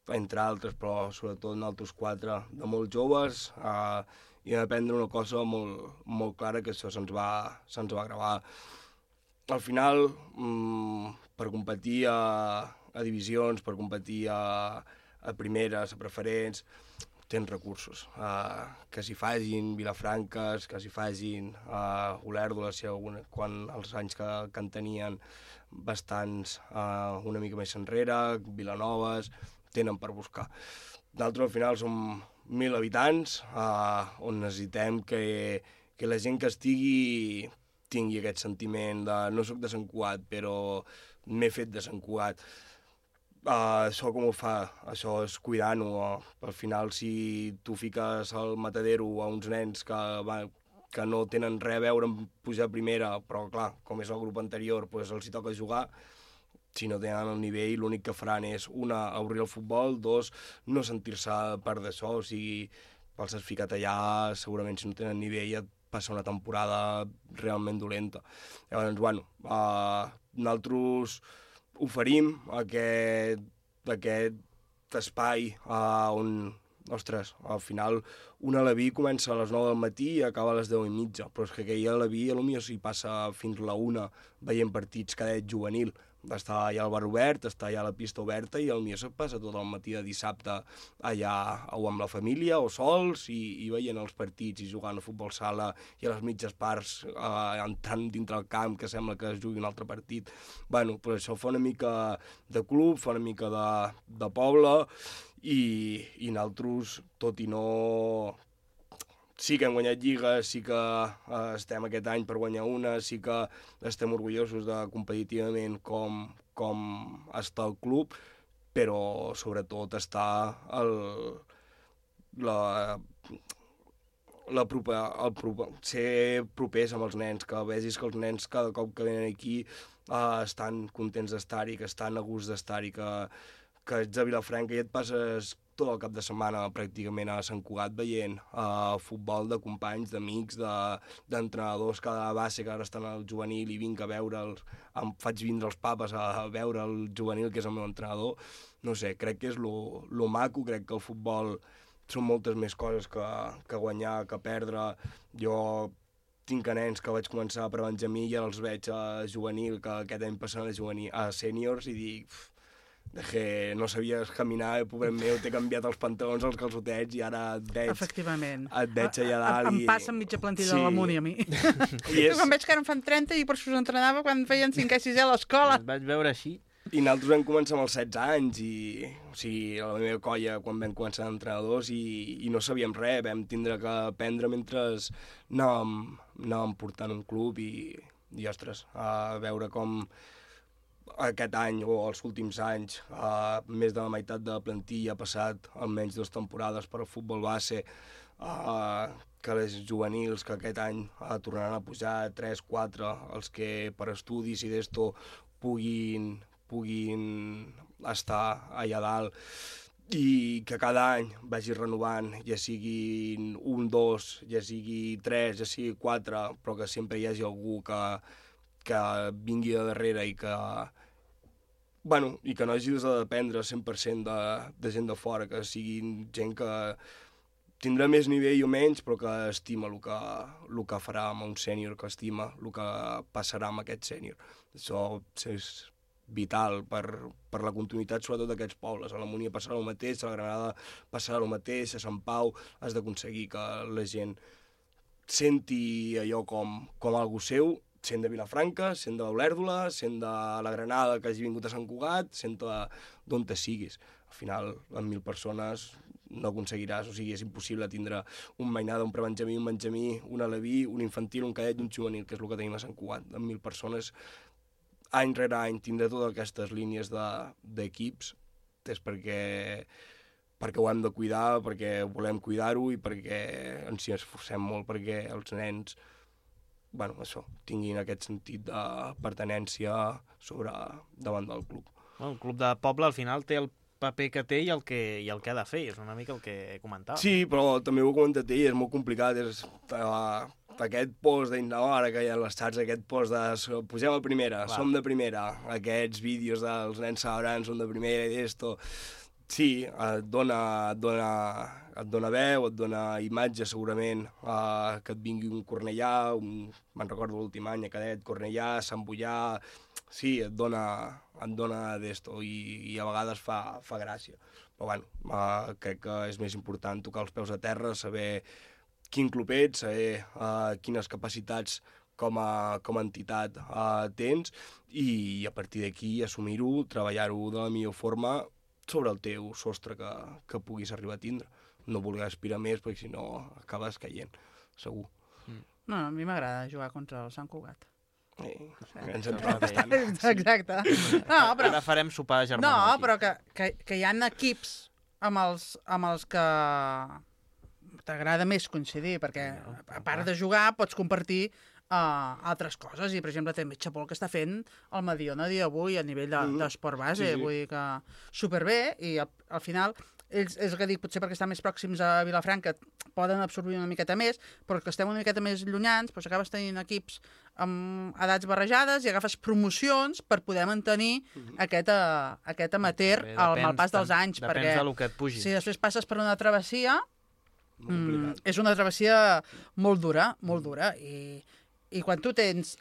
entre altres, però sobretot nosaltres 4, de molt joves, i vam aprendre una cosa molt clara, que això se'ns va gravar. Al final, per competir a divisions, per competir a primeres, a preferents, tens recursos. Que s'hi facin Vilafranques, que s'hi facin Olèrdola, quan els anys que en tenien bastants una mica més enrere, Vilanoves, tenen per buscar. Nosaltres al final som 1.000 habitants, on necessitem que la gent que estigui tingui aquest sentiment de no soc de Sant Cugat, però m'he fet de Sant Cugat. Això com ho fa? Això és cuidant-ho. Al final, si tu fiques al matadero a uns nens que no tenen res a veure amb pujar a primera, però clar, com és el grup anterior, doncs els hi toca jugar, si no tenen el nivell, l'únic que faran és, una, obrir el futbol, 2, no sentir-se part d'això, o sigui, els has ficat allà, segurament si no tenen nivell et passa una temporada realment dolenta. Llavors, bueno, nosaltres oferim aquest espai on, ostres, al final un Aleví comença a les 9 del matí i acaba a les 10:30, però és que aquell Aleví potser s'hi passa fins la 1 veient partits cadet juvenil. Està allà al bar obert, està allà a la pista oberta i potser se't passa tot el matí de dissabte allà o amb la família o sols i veient els partits i jugant a futbol sala i a les mitges parts entrant dintre el camp que sembla que es jugui un altre partit. Bueno, però això fa una mica de club, fa una mica de poble i nosaltres, tot i no... Sí que hem guanyat lligues, sí que estem aquest any per guanyar una, sí que estem orgullosos de competitivament com està el club, però sobretot està ser propers amb els nens, que vegis que els nens cada cop que venen aquí estan contents d'estar-hi, que estan a gust d'estar-hi, que ets a Vilafranca i et passes tot el cap de setmana pràcticament a Sant Cugat veient futbol de companys, d'amics, d'entrenadors que a base que ara estan al juvenil i vinc a veure'ls, em faig vindre els papes a veure el juvenil, que és el meu entrenador. No sé, crec que és lo maco, crec que el futbol són moltes més coses que guanyar, que perdre. Jo tinc nens que vaig començar per Benjamí i ara els veig a juvenil, que aquest any passant a sèniors, i dic... que no sabies caminar, pobret meu, t'he canviat els pantalons, els calçotets, i ara et veig... Efectivament. Et veig allà dalt i... Em passa amb mitja plantilla de l'Amuni, a mi. Quan veig que ara en fan 30 i per això us entrenava quan feien 5è i 6è a l'escola. Et vaig veure així. I nosaltres vam començar amb els 16 anys, o sigui, a la meva colla, quan vam començar d'entrenadors, i no sabíem res, vam tindre que aprendre mentre anàvem portant un club, i ostres, a veure com aquest any o els últims anys més de la meitat de la plantilla ha passat almenys 2 temporades per al futbol base, que les juvenils que aquest any tornaran a pujar 3, 4, els que per estudis i d'esto puguin estar allà dalt, i que cada any vagi renovant, ja siguin 1, 2, ja sigui 3, ja sigui 4, però que sempre hi hagi algú que vingui de darrere i que no hagis de dependre 100% de gent de fora, que siguin gent que tindrà més nivell o menys, però que estima el que farà amb un sènior, que estima el que passarà amb aquest sènior. Això és vital per la continuïtat, sobretot d'aquests pobles. A la Múnia passarà el mateix, a la Granada passarà el mateix, a Sant Pau has d'aconseguir que la gent senti allò com algú seu, sent de Vilafranca, sent d'Olèrdola, sent de la Granada que hagi vingut a Sant Cugat, sent d'on te siguis. Al final, amb 1.000 persones no aconseguiràs, o sigui, és impossible tindre un mainada, un prebenjamí, un benjamí, un aleví, un infantil, un cadet i un juvenil, que és el que tenim a Sant Cugat. Amb 1.000 persones, any rere any, tindre totes aquestes línies d'equips és perquè ho hem de cuidar, perquè volem cuidar-ho i perquè ens hi esforcem molt perquè els nens tinguin aquest sentit de pertinença davant del club. El club de poble al final té el paper que té i el que ha de fer, és una mica el que comentava. Sí, però també ho he comentat ell, és molt complicat, aquest post ara que hi ha les xats, aquest post de pugem a primera, som de primera, aquests vídeos dels nens celebrant som de primera i d'esto, sí, et dona veu, et dona imatge segurament, que et vingui un Cornellà, me'n recordo l'últim any, a Cadet, Cornellà, Sant Boià, sí, et dona d'esto i a vegades fa gràcia. Però crec que és més important tocar els peus a terra, saber quin club ets, saber quines capacitats com a entitat tens i a partir d'aquí assumir-ho, treballar-ho de la millor forma sobre el teu sostre que puguis arribar a tindre. No voler aspirar més perquè si no acabes caient, segur. No, a mi m'agrada jugar contra el Sant Cugat. Ens en trobem bastant. Exacte. Ara farem sopar germà. No, però que hi ha equips amb els que t'agrada més coincidir, perquè a part de jugar pots compartir altres coses, i per exemple també Xapol que està fent el Mediona dia d'avui a nivell d'esport base, vull dir que superbé, i al final ells, és que dic, potser perquè estan més pròxims a Vilafranca poden absorbir una miqueta més, però que estem una miqueta més llunyans, doncs acabes tenint equips amb edats barrejades i agafes promocions per poder mantenir aquest amateur al pas dels anys. Depèn del que et pugi. Si després passes per una travessia, és una travessia molt dura, i quan tu tens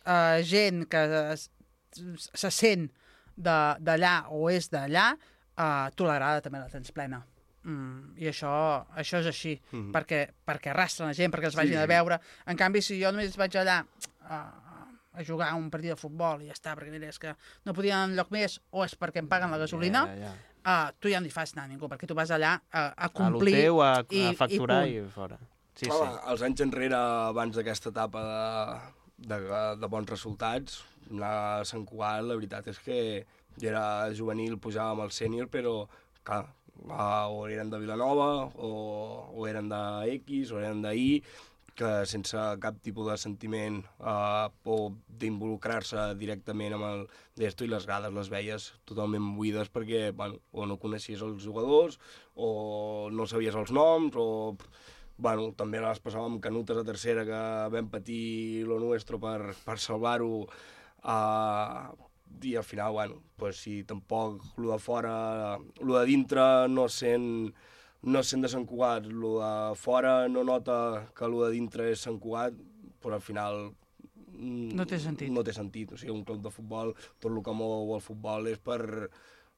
gent que se sent d'allà o és d'allà, tu l'agrada també la tens plena. I això és així, perquè arrastren la gent, perquè els vagin a veure. En canvi, si jo només vaig allà a jugar un partit de futbol i ja està, perquè és que no podia anar enlloc més, o és perquè em paguen la gasolina, tu ja no hi fas anar a ningú, perquè tu vas allà a complir a lo teu, a facturar i fora. Sí. Els anys enrere, abans d'aquesta etapa de bons resultats, anar a Sant Cugat, la veritat és que jo era juvenil, pujava amb el sènior, però clar, o eren de Vilanova, o eren de X, o eren de Y, que sense cap tipus de sentiment o d'involucrar-se directament amb el d'esto, i les grades les veies totalment buides perquè o no coneixies els jugadors o no sabies els noms o també les passàvem canutes a tercera que vam patir lo nuestro per salvar-ho i al final, si tampoc lo de fora, lo de dintre no sent de Sant Cugat, el de fora no nota que el de dintre és Sant Cugat, però al final no té sentit. No té sentit. O sigui, un club de futbol, tot el que mou el futbol és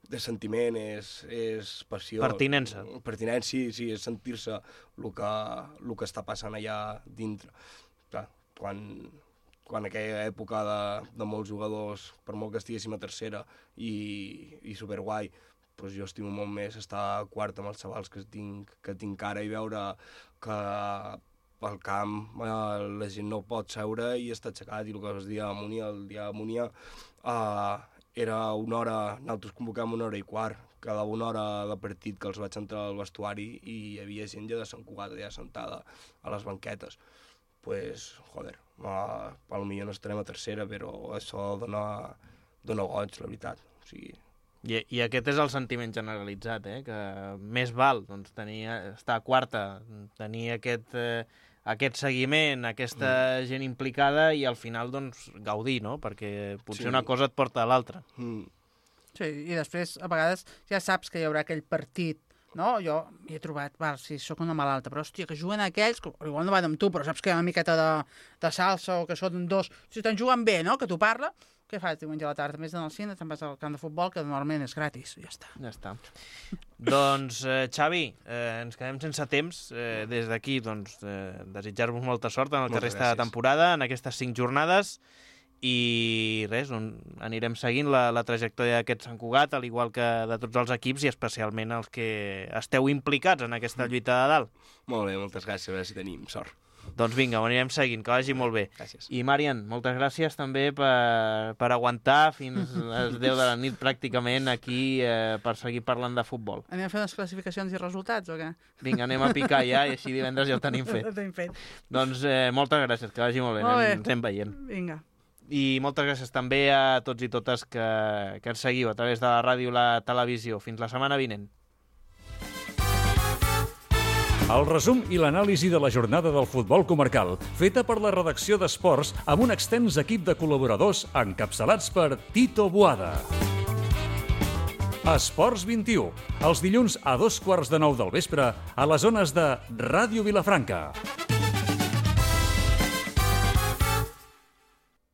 de sentiment, és passió. Pertinença. Pertinència, sí, és sentir-se el que està passant allà dintre. Clar, quan aquella època de molts jugadors, per molt que estiguéssim a tercera i superguai, doncs jo estimo molt més estar a quarta amb els xavals que tinc ara i veure que al camp la gent no pot seure i està aixecat, i el que es dia a Múnia, el dia a Múnia era una hora, nosaltres convocàvem 1h15, cada una hora de partit que els vaig entrar al vestuari i hi havia gent ja de Sant Cugat ja sentada a les banquetes. Pues, joder, potser no estarem a tercera, però això dona goig, la veritat. O sigui... I aquest és el sentiment generalitzat, que més val estar a quarta, tenir aquest seguiment, aquesta gent implicada i al final gaudir, no? Perquè potser una cosa et porta a l'altra. Sí, i després a vegades ja saps que hi haurà aquell partit, no? Jo hi he trobat, si sóc una malalta, però hòstia, que juguen aquells, que igual no van amb tu, però saps que hi ha una miqueta de salsa o que són dos, si te'n juguen bé, no?, que t'ho parla. Què fas diumenge a la tarda? Més d'anar al cine, te'n vas al camp de futbol, que normalment és gratis. Ja està. Ja està. Doncs, Xavi, ens quedem sense temps. Des d'aquí, desitjar-vos molta sort en el que resta de temporada, en aquestes 5 jornades, i res, anirem seguint la trajectòria d'aquest Sant Cugat, al igual que de tots els equips, i especialment els que esteu implicats en aquesta lluita de dalt. Molt bé, moltes gràcies, a veure si tenim sort. Doncs vinga, ho anirem seguint, que vagi molt bé. Gràcies. I Marian, moltes gràcies també per aguantar fins a les 10 de la nit pràcticament aquí per seguir parlant de futbol. Anem a fer unes classificacions i resultats o què? Vinga, anem a picar ja i així divendres ja ho tenim fet. Doncs moltes gràcies, que vagi molt bé, ens anem veient. Vinga. I moltes gràcies també a tots i totes que ens seguiu a través de la ràdio i la televisió. Fins la setmana vinent. El resum i l'anàlisi de la jornada del futbol comarcal, feta per la redacció d'Esports amb un extens equip de col·laboradors encapçalats per Tito Boada. Esports 21, els dilluns a 8:15 del vespre a les zones de Ràdio Vilafranca.